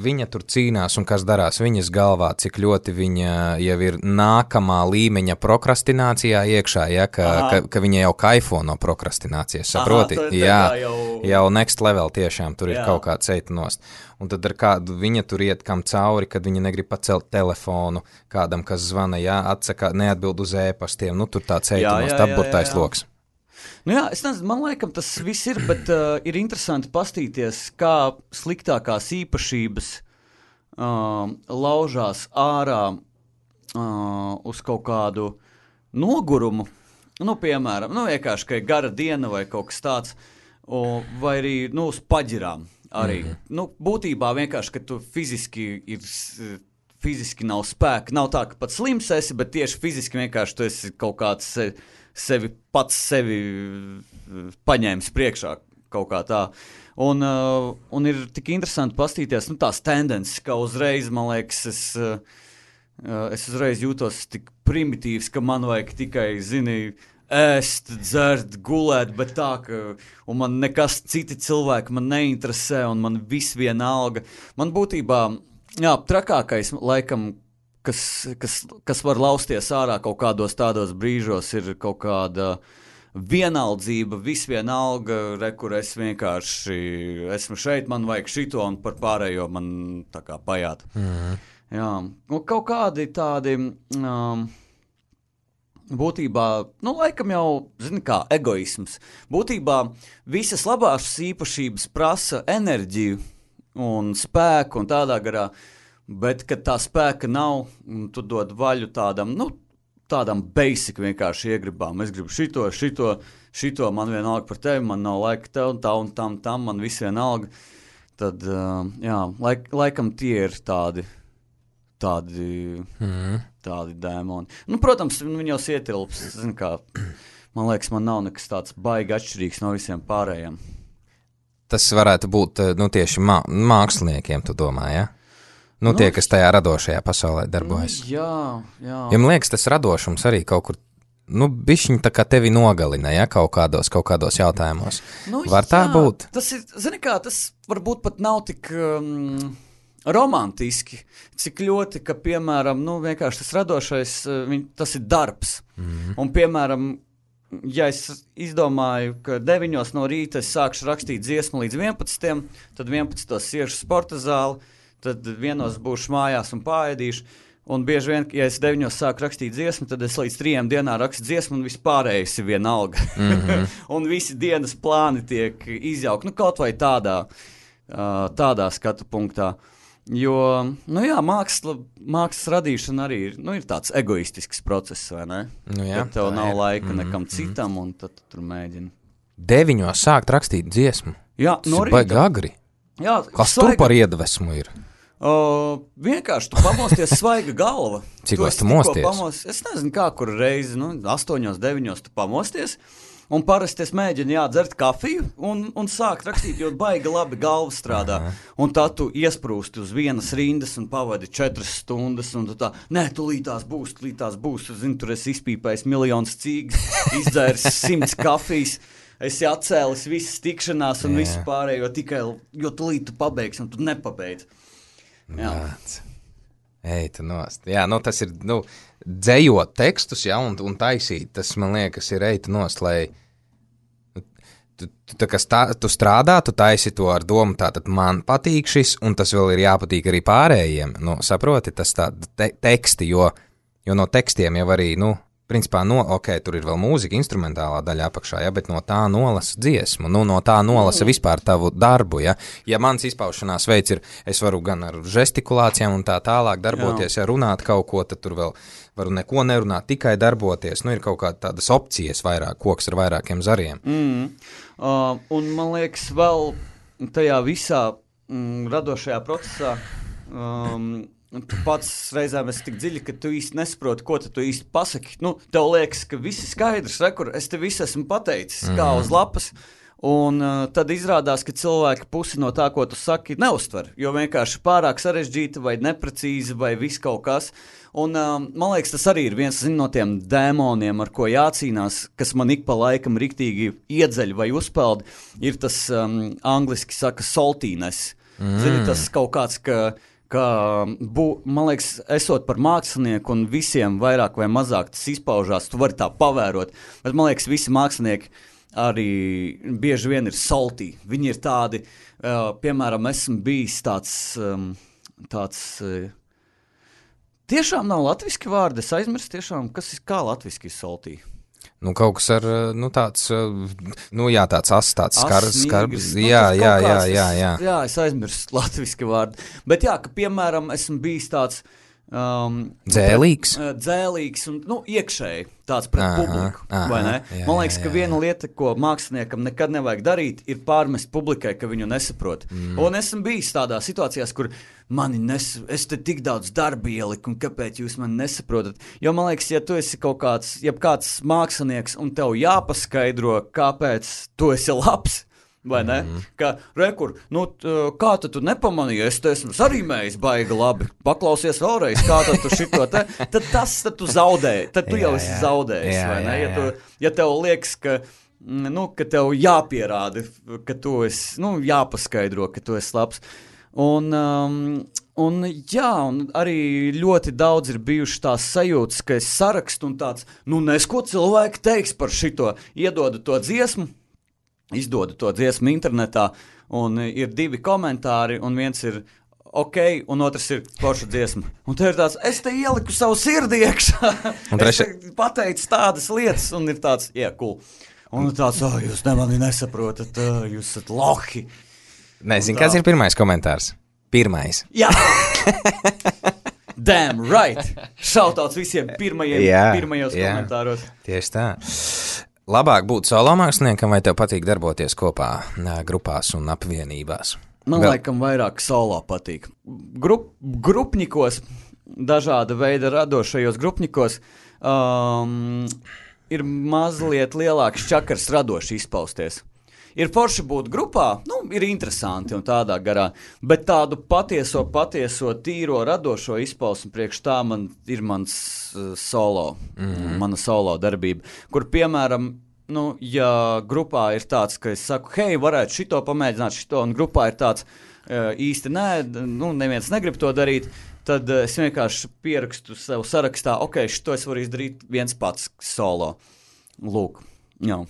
viņa tur cīnās un kas darās viņas galvā, cik ļoti viņa jau ir nākamā līmeņa prokrastinācijā iekšā, ja, ka, ka, ka viņa jau kaifo no prokrastinācijas, saproti? Aha, jā, jau... jau next level tiešām, tur jā. Ir kaut kāds eita nost. Un tad ar kādu viņa tur iet kam cauri, kad viņa negrib pacelt telefonu kādam, kas zvana, jā, atsaka, neatbild uz ēpastiem, nu tur tāds eita nost, apburtais loks. Nu jā, es nezinu, man laikam tas viss ir, bet uh, ir interesanti pastīties, kā sliktākās īpašības uh, laužās ārā uh, uz kaut kādu nogurumu. Nu, piemēram, nu, vienkārši, ka ir gara diena vai kaut kas tāds, o, vai arī, nu, uz paģirām arī. Mm-hmm. Nu, būtībā vienkārši, ka tu fiziski ir... fiziski nav spēka, nav tā, ka pat slims esi, bet tieši fiziski vienkārši tu esi kaut kāds sevi, sevi pats sevi paņēmis priekšā kaut kā tā. Un, uh, un ir tik interesanti pastīties, nu tās tendences, ka uzreiz, man liekas, es, uh, es uzreiz jūtos tik primitīvs, ka man vajag tikai, zini, ēst, dzert, gulēt, bet tā, ka, un man nekas citi cilvēki man neinteresē, un man viss vienalga. Man būtībā, jā, trakākais, laikam, kas, kas, kas var lausties ārā kaut kādos tādos brīžos, ir kaut kāda vienaldzība, viss vienalga, re, kur es vienkārši esmu šeit, man vajag šito, un par pārējo man tā kā pajāt. Mm-hmm. Jā, un kaut kādi tādi, um, būtībā, nu, laikam jau, zini kā, egoisms. Būtībā visas labās īpašības prasa enerģiju, un spēku un tādā garā, bet, kad tā spēka nav, tu dod vaļu tādam, nu, tādam basic vienkārši iegribām. Es gribu šito, šito, šito, man vienalga par tevi, man nav laika tev, un tā un tam, tam, man viss vienalga. Tad, uh, jā, laik, laikam tie ir tādi, tādi, mm. tādi dēmoni. Nu, protams, viņi jau ietilps, zini kā, man liekas, man nav nekas tāds baigi atšķirīgs no visiem pārējiem. Tas varētu būt, nu, tieši mā, māksliniekiem, tu domā, ja? Nu, nu, tie, kas tajā radošajā pasaulē darbojas. Nu, jā, jā. Ja man liekas, tas radošums arī kaut kur, nu, bišķiņ tā kā tevi nogalina, ja, kaut kādos, kaut kādos jautājumos. Nu, var tā jā, būt? Tas ir, zini kā, tas varbūt pat nav tik um, romantiski, cik ļoti, ka, piemēram, nu, vienkārši tas radošais, viņ, tas ir darbs. Mm-hmm. Un, piemēram, ja es izdomāju, ka deviņos no rīta es sākšu rakstīt dziesmu līdz vienpadsmitiem, tad vienpadsmitos iešu sporta zāli, tad vienos būšu mājās un pāēdīšu, un bieži vien, ja es deviņos sāku rakstīt dziesmu, tad es līdz trījiem dienā rakstu dziesmu, un vispārējais ir vienalga. Mm-hmm. Un visi dienas plāni tiek izjaukti, nu kaut vai tādā, tādā skatu punktā. Jo, nu jā, māksla, mākslas radīšana arī ir, nu, ir tāds egoistisks process, vai ne? Nu jā, kad tev nav ir. laika mm-hmm. nekam citam, un tad tu tur mēģini. Deviņos sākt rakstīt dziesmu? Jā, no rīta. Baigi agri. Jā, kas svaiga. Tur par iedvesmu ir? Uh, vienkārši tu pamosties svaiga galva. Cik tu, tu mosties? Pamos, es nezinu, kā kur reizi, nu, astoņos, deviņos tu pamosties, Un parasti es mēģinu jādzert kafiju un, un sākt rakstīt, jo baigi labi galva strādā. Aha. Un tad tu iesprūsti uz vienas rindas un pavadi četras stundas, un tu tā, nē, tu lītās būs, tu lītās būs, tu zini, tur esi izpīpējis miljonus cīgas, izdzēris simts kafijas, esi atcēlis visas tikšanās un visu pārējo tikai, jo tu līdz tu pabeigsi un tu nepabeidz. Jā. Ej, tu nost. Jā, nu tas ir, nu, dzējot tekstus, jā, un, un taisīt, tas, man liekas, ir ej, tu nost, lai Tu, tu, tā, stā, tu strādā, tu taisi to ar domu, tātad man patīk šis, un tas vēl ir jāpatīk arī pārējiem. Nu, saproti, tas tā te, teksti, jo, jo no tekstiem jau arī, nu, principā, no, ok, tur ir vēl mūzika, instrumentālā daļa apakšā, ja, bet no tā nolasa dziesmu, nu, no tā nolasa vispār tavu darbu, ja. Ja mans izpaušanās veids ir, es varu gan ar žestikulācijām un tā tālāk darboties, ja runāt kaut ko, tad tur vēl varu neko nerunāt, tikai darboties, nu, ir kaut kāda tādas opcijas vairāk, koks ar vairākiem zariem. Mm. Uh, un man liekas, vēl tajā visā mm, radošajā procesā um, tu pats reizēm esi tik dziļi, ka tu īsti nesaproti, ko tu īsti pasaki. Nu, tev liekas, ka viss ir skaidrs, rekur, es te visu esmu pateicis, mm. kā uz lapas, un uh, tad izrādās, ka cilvēki pusi no tā, ko tu saki, neuztver, jo vienkārši pārāk sarežģīta vai neprecīzi vai viss kaut kas. Un uh, man liekas, tas arī ir viens zin, no tiem dēmoniem, ar ko jācīnās, kas man ik pa laikam riktīgi iedzeļ vai uzpeld, ir tas um, angliski saka saltiness. Mm. Zini, tas kaut kāds, ka, ka bū, man liekas, esot par mākslinieku un visiem vairāk vai mazāk tas izpaužās, tu vari tā pavērot, bet man liekas, visi mākslinieki arī bieži vien ir saltī. Viņi ir tādi, uh, piemēram, esmu bijis tāds, um, tāds uh, tiešām nav latviski vārdi, es aizmirstu tiešām, kas ir, kā latviski ir saltī. Nu, kaut kas ar, nu, tāds, nu, jā, tāds as, tāds skarbs, skarbs, nu, jā, jā, jā, jā, jā. Jā, es aizmirstu latviski vārdi. Bet jā, ka, piemēram, esmu bijis tāds, Um, dzēlīgs? Pret, uh, dzēlīgs un nu, iekšēji tāds pret aha, publiku, aha, vai ne? Jā, man liekas, jā, jā, ka viena lieta, ko māksliniekam nekad nevajag darīt, ir pārmest publikai, ka viņu nesaprot. Mm. Un esmu bijis tādā situācijās, kur mani nes, es te tik daudz darba ieliku, un kāpēc jūs mani nesaprotat? Jo man liekas, ja tu esi kaut kāds, ja kāds mākslinieks un tev jāpaskaidro, kāpēc tu esi labs, vai ne? Mm-hmm. Ka, rekur, nu, t, kā tu tu nepamanīji, es te esmu sarīmējis baigi labi, paklausies vēlreiz, kā tad tu šito te, tad tas, tad tu zaudēji, tad tu jā, jau esi jā. zaudējis, jā, vai ne? Ja, tu, ja tev liekas, ka, nu, ka tev jāpierāda, ka tu esi, nu, jāpaskaidro, ka tu esi labs. Un, um, un jā, un arī ļoti daudz ir bijuši tās sajūtas, ka es sarakstu un tāds, nu, nes ko cilvēki teiks par šito, iedodu to dziesmu, izdodu to dziesmu internetā, un ir divi komentāri, un viens ir ok, un otrs ir forša dziesma. Un te ir tāds, es te ieliku savu sirdi iekšā, treši... es te pateicu tādas lietas, un ir tāds, jā, yeah, cool. Un tāds, oh, jūs ne mani nesaprotat, uh, jūs esat lohi. Nezinu, kāds ir pirmais komentārs? Pirmais. Jā. Damn right. Šautauts visiem pirmajiem, jā, pirmajos jā. komentāros. Tieši tā. Labāk būt solo māksliniekam, vai tev patīk darboties kopā grupās un apvienībās? Man Vēl... laikam vairāk solo patīk. Grup, grupņikos, dažāda veida radošajos grupņikos, um, ir mazliet lielāks čakars radoši izpausties. Ir forši būt grupā, nu, ir interesanti un tādā garā, bet tādu patieso, patieso, tīro, radošo izpausmi priekš tā man ir mans uh, solo, mm-hmm. mana solo darbība, kur, piemēram, nu, ja grupā ir tāds, ka es saku, hei, varētu šito pamēģināt, šito, un grupā ir tāds, uh, īsti nē, nu, neviens negrib to darīt, tad uh, es vienkārši pierakstu sev sarakstā, ok, šito es varu izdarīt viens pats solo. Lūk, jā.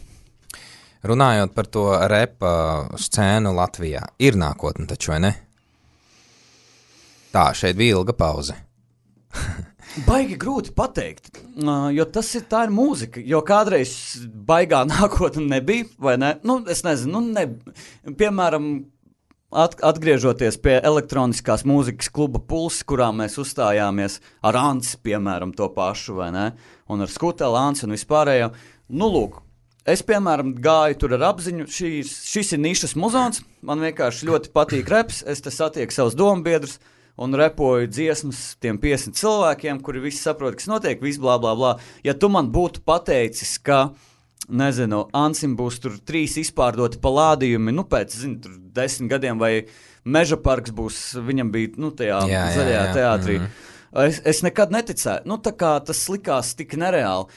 Runājot par to repa scēnu Latvijā, ir nākotne taču, vai ne? Tā, šeit bija ilga pauze. Baigi grūti pateikt, jo tas ir, tā ir mūzika, jo kādreiz baigā nākotne nebija, vai ne? Nu, es nezinu, nu, ne, piemēram, at, atgriežoties pie elektroniskās mūzikas kluba Puls, kurā mēs uzstājāmies ar Anci, piemēram, to pašu, vai ne? Un ar Skuteli, Anci un vispārējo, nu, lūk. Es, piemēram, gāju tur ar apziņu, šis, šis ir nišas muzons, man vienkārši ļoti patīk reps, es te satieku savus dombiedrus un repoju dziesmas tiem piecsimt cilvēkiem, kuri visi saprot, kas notiek, viss blā, blā, blā. Ja tu man būtu pateicis, ka nezinu, Ansim būs tur trīs izpārdoti palādījumi, nu pēc, zinu, tur desmit gadiem, vai Meža parks būs, viņam bija, nu, tajā jā, zaļajā jā, jā. teātrī. Mm-hmm. Es, es nekad neticēju, nu, tā kā tas likās tik nereāli.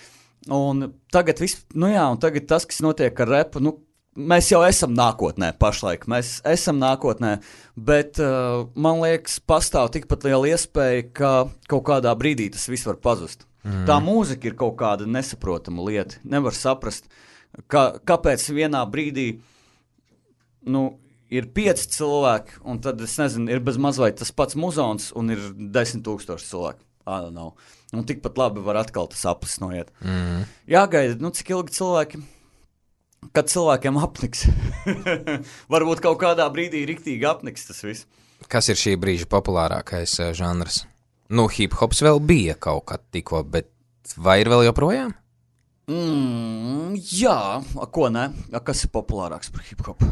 Un tagad viss, nu jā, un tagad tas, kas notiek ar repu, nu, mēs jau esam nākotnē pašlaik, mēs esam nākotnē, bet uh, man liekas, pastāv tikpat liela iespēja, ka kaut kādā brīdī tas viss var pazust. Mm. Tā mūzika ir kaut kāda nesaprotama lieta, nevar saprast, ka, kāpēc vienā brīdī, nu, ir pieci cilvēki, un tad, es nezinu, ir bez mazliet tas pats muzons, un ir desmit tūkstoši cilvēki. I don't know. Un tikpat labi var atkal tas aplis noiet. Mm. Jāgaida, nu, cik ilgi cilvēki, kad cilvēkiem apniks. Varbūt kaut kādā brīdī riktīgi apniks tas viss. Kas ir šī brīža populārākais uh, žanrs? Nu, hip-hops vēl bija kaut kad tikko, bet vai ir vēl joprojām? Mm, jā, a, ko ne? A, kas ir populārāks par hip-hopu?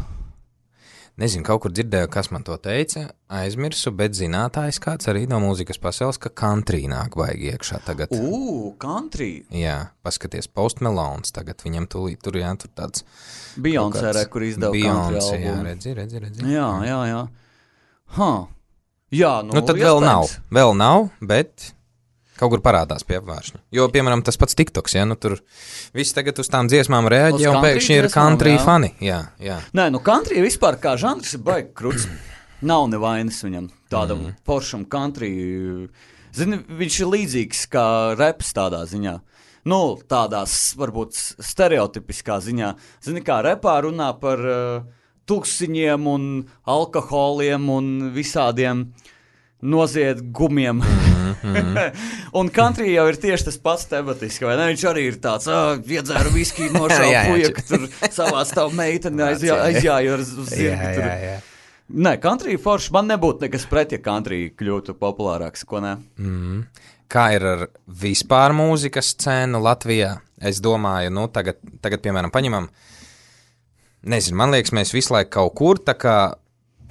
Nezinu, kaut kur dzirdēju, kas man to teica, aizmirsu, bet zinātājs kāds arī no mūzikas pasaules, ka country nāk baigi iekšā tagad. Ū, country? Jā, paskaties, Post Malones tagad, viņam tūlīt tur, jā, tur tāds... Beyoncé, re, kur izdeva country albumu. Jā, redzi, redzi, redzi. Jā, jā, jā. Huh. Jā, nu, nu tad iespējams. vēl nav, vēl nav, bet... Kaut kur parādās pie apvāršņa. Jo, piemēram, tas pats TikToks, ja, nu tur viss tagad uz tām dziesmām reaģē, un pēkšņi ir country jā. fani. Jā, jā. Nē, nu country vispār kā žanrs ir baigi kruts. Nav nevainas viņam tādam mm. poršam country. Zini, viņš ir līdzīgs kā reps tādā ziņā. Nu, tādās, varbūt, stereotipiskā ziņā. Zini, kā repā runā par uh, tuksiņiem un alkoholiem un visādiem noziegumiem. Mm-hmm. Un country jau ir tieši tas pats tematiski, vai ne? Viņš arī ir tāds, ah, iedzēru viskiju nošauja puja, ka tur savā stāv meiteni aizjā, aizjāju ar zirgi. Jā, jā, jā. Nē, country forši, man nebūtu nekas pret, ja country kļūtu populārāks, ko ne? Mm. Kā ir ar vispār mūzikas scēnu Latvijā? Es domāju, nu, tagad, tagad piemēram, paņemam, nezinu, man liekas, mēs visu laiku kaut kur tā kā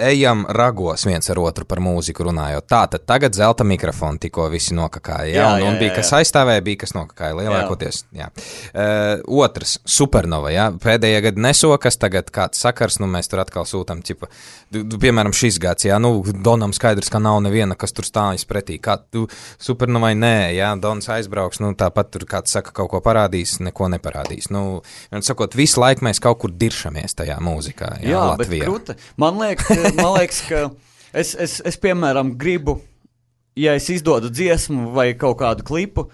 ejam ragos viens ar otru par mūziku runājot. Tā, tad tagad zelta mikrofonu tikko visi nokakāja. Jā, jā, un, un jā, bija, jā. kas aizstāvēja, bija, kas nokakāja lielākoties. Jā. Jā. Uh, otrs, Supernova, jā. Pēdējā gada nesokas, tagad kāds sakars, nu mēs tur atkal sūtam, ķipa, du, du, piemēram, šis gads, jā, nu, Donam skaidrs, ka nav neviena, kas tur stājas pretī. Kā tu Supernovai nē, jā, Dons aizbrauks, nu, tāpat tur kāds saka, kaut ko parādīs, neko neparādīs. Nu, un sakot, visu laiku mēs kaut kur diršamies tajā mūzikā, jā, jā Latvijā. Bet kruta, man liekas, man liekas, ka es, es, es, piemēram, gribu, ja es izdodu dziesmu vai kaut kādu klipu,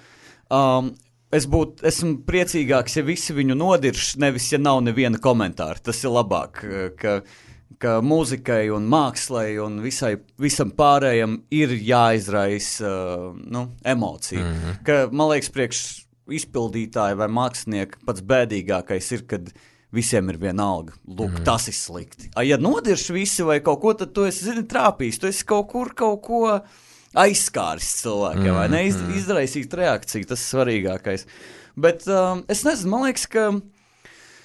um, es būtu, esmu priecīgāks, ja visi viņu nodirš, nevis, ja nav neviena komentāra. Tas ir labāk, ka, ka mūzikai un mākslai un visai, visam pārējam ir jāizraisa uh, nu, emocija. Mm-hmm. Ka, man liekas, priekš izpildītāji vai mākslinieki pats bēdīgākais ir, kad visiem ir vienalga. Lūk, mm. tas ir slikti. A, ja nodirš visi vai kaut ko, tad tu esi, zini, trāpījis. Tu esi kaut kur kaut ko aizskāris cilvēkiem, mm. vai ne? Iz, izraisīt reakciju, tas ir svarīgākais. Bet um, es nezinu, man liekas, ka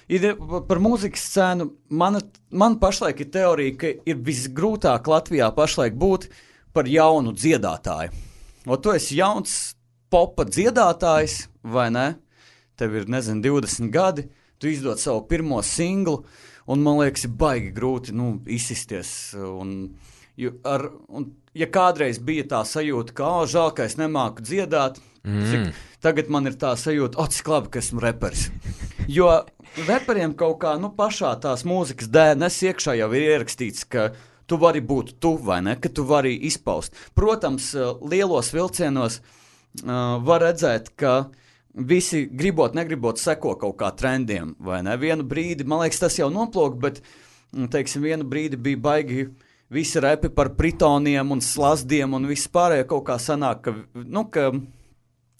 ir par mūzikas scēnu, man, man pašlaik ir teorija, ka ir visgrūtāk Latvijā pašlaik būt par jaunu dziedātāju. O tu esi jauns popa dziedātājs, vai ne? Tev ir, nezinu, divdesmit gadi. Tu izdod savu pirmo singlu, un man liekas, ir baigi grūti nu, izsisties. Un, ar, un, ja kādreiz bija tā sajūta, ka, oh, žēl, ka es nemāku dziedāt, mm. cik, tagad man ir tā sajūta, o, cik labi, ka esmu reperis. Jo reperiem kaut kā nu, pašā tās mūzikas D N S iekšā jau ir ierakstīts, ka tu vari būt tu, vai ne, ka tu vari izpaust. Protams, lielos vilcienos uh, var redzēt, ka visi gribot, negribot seko kaut kā trendiem, vai ne? Vienu brīdi, man liekas, tas jau noplūk, bet, teiksim, vienu brīdi bija baigi visi repi par pritoniem un slazdiem un viss pārējo kaut kā sanāk, ka, nu, ka,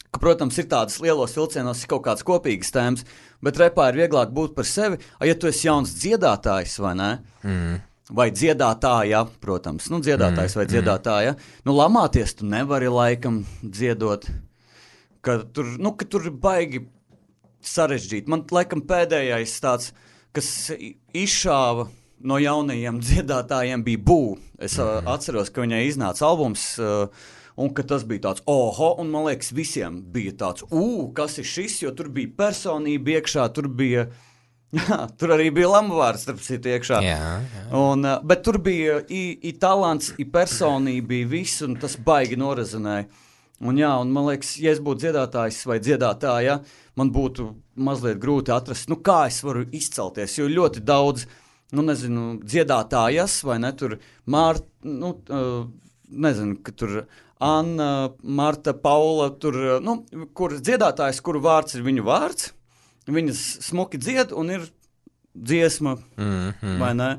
ka, protams, ir tādas lielos vilcienos, ir kaut kāds kopīgas tēmas, bet repā ir vieglāk būt par sevi, a, ja tu esi jauns dziedātājs, vai ne? Mm. Vai dziedātāja, protams, nu, dziedātājs mm. vai dziedātāja, nu, lamāties tu nevari laikam dziedot. Ka tur, nu, ka tur ir baigi sarežģīti. Man, laikam, pēdējais tāds, kas izšāva no jaunajiem dziedātājiem bija Bū. Es mm-hmm. uh, atceros, ka viņai iznāca albums, uh, Un ka tas bija tāds, oho, un man liekas, visiem bija tāds, ū, kas ir šis, jo tur bija personība iekšā, tur bija, jā, tur arī bija Lamvārds, starp citu iekšā. Jā, jā. Un, bet tur bija i, i talants, i personība, bija viss, un tas baigi norezinēja. Un jā, un man liekas, ja es būtu dziedātājs vai dziedātāja, man būtu mazliet grūti atrast, nu kā es varu izcelties, jo ļoti daudz, nu nezinu, dziedātājas, vai ne, tur Mārta, nu, uh, nezinu, ka tur Anna, Marta, Paula, tur, nu, kur dziedātājs, kuru vārds ir viņu vārds, viņas smuki dzied un ir dziesma, mm-hmm. vai ne?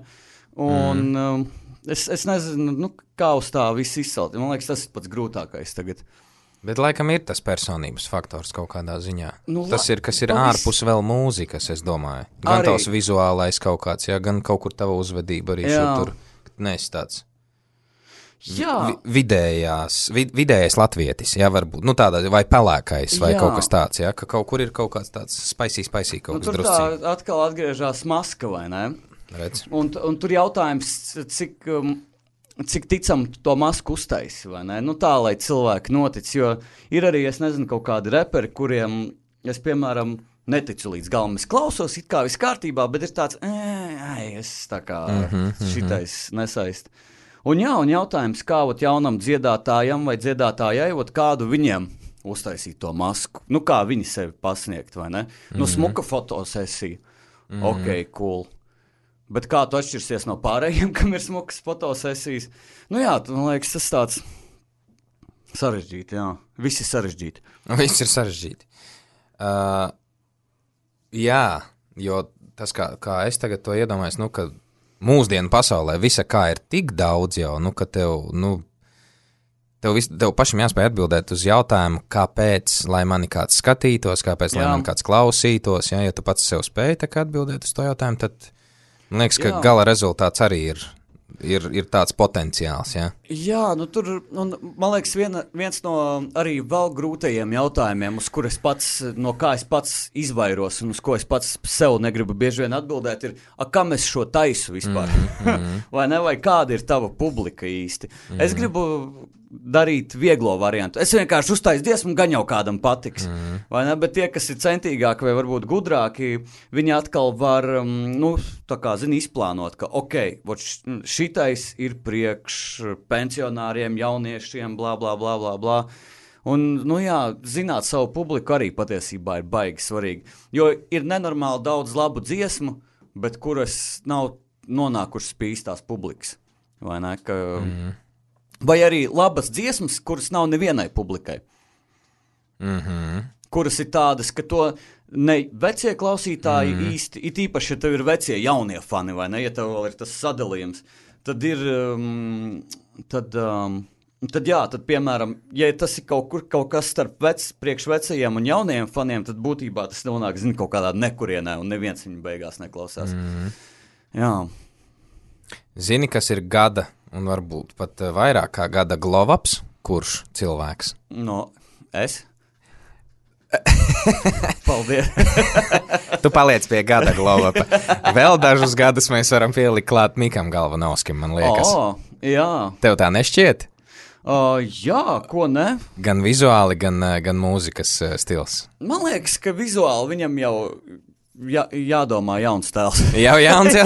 Un mm. um, es, es nezinu, nu, kā uz tā viss izcelt. Man liekas, tas ir pats grūtākais tagad. Bet laikam ir tas personības faktors kaut kādā ziņā. Nu, tas ir, kas ir pavis... ārpus vēl mūzikas, es domāju. Gan arī... tavs vizuālais kaut kāds, jā, gan kaut kur tava uzvedība arī šur tur neesi tāds. Jā. Vidējās, vid, vidējais latvietis, jā, varbūt, nu tādā, vai pelēkais, vai jā. Kaut kas tāds, jā, ka kaut kur ir kaut kāds tāds spicy, spicy kaut nu, kas drusciņ. Tur tā atkal atgriežās maska, vai ne? Redz. Un, un tur jautājums, cik, um, cik ticam to masku uztaisi, vai ne? Nu tā, lai cilvēki notic, jo ir arī, es nezinu, kaut kādi reperi, kuriem, es, piemēram, neticu līdz galam, es klausos, it kā viss kārtībā, bet ir tāds, ej, es tā kā mm-hmm, šitais mm-hmm. nesaist. Un jā, un jautājums, kā ot jaunam dziedātājam vai dziedātājai, ot kādu viņiem uztaisīt to masku. Nu, kā viņi sevi pasniegt, vai ne? Mm-hmm. Nu, smuka fotosesija. Mm-hmm. Ok, cool. Bet kā tu atšķirsies no pārējiem, kam ir smukas fotosesijas? Nu jā, tu, man liekas, tas tāds sarežģīti, jā. Viss ir sarežģīti. Viss ir sarežģīti. Uh, jā, jo tas, kā, kā es tagad to iedomājos, nu, ka mūsdienu pasaulē visa kā ir tik daudz jau, nu, ka tev, nu, tev, vis, tev pašam jāspēj atbildēt uz jautājumu, kāpēc, lai mani kāds skatītos, kāpēc, jā. Lai mani kāds klausītos, ja, ja tu pats sev spēj tā kā atbildēt uz to jautājumu, tad man liekas, ka jā. Gala rezultāts arī ir, ir, ir tāds potenciāls, ja. Jā, nu tur, un, man liekas, viena, viens no arī vēl grūtajiem jautājumiem, uz kur es pats, no kā es pats izvairos un uz ko es pats sev negribu bieži vien atbildēt, ir, a, kam es šo taisu vispār? Mm-hmm. vai ne, vai kāda ir tava publika īsti? Mm-hmm. Es gribu darīt vieglo variantu. Es vienkārši uztaisu dziesmu, gan jau kādam patiks. Mm-hmm. Vai ne? Bet tie, kas ir centīgāki vai varbūt gudrāki, viņi atkal var, nu, tā kā, zini, izplānot, ka, ok, šitais ir priekš pensionāriem, jauniešiem, blā, blā, blā, blā, blā. Un, nu jā, zināt savu publiku arī patiesībā ir baigi svarīgi. Jo ir nenormāli daudz labu dziesmu, bet kuras nav nonākušas pie īstās publikas. Vai ne? Ka... Mm-hmm. Vai arī labas dziesmas, kuras nav nevienai publikai. Mm-hmm. Kuras ir tādas, ka to ne vecie klausītāji mm-hmm. īsti, it īpaši, ja tev ir vecie jaunie fani, vai ne, ja tev vēl ir tas sadalījums, tad ir, um, tad, um, tad jā, tad, piemēram, ja tas ir kaut kur, kaut kas starp vec, priekš vecajiem un jaunajiem faniem, tad būtībā tas nonāk, zini, kaut kādā nekurienē, un neviens viņu beigās neklausās. Mm-hmm. Jā. Zini, kas ir gada, un varbūt pat vairāk kā gada glovaps, kurš cilvēks? No, es? Paldies. Tu paliec pie gada glovapa. Vēl dažus gadus mēs varam pielikt klāt Mikam Galvanovskim, man liekas. O, jā. Tev tā nešķiet? O, jā, ko ne? Gan vizuāli, gan, gan mūzikas stils. Man liekas, ka vizuāli viņam jau... Jā, jādomā jauns tēls. Jau jauns, jā.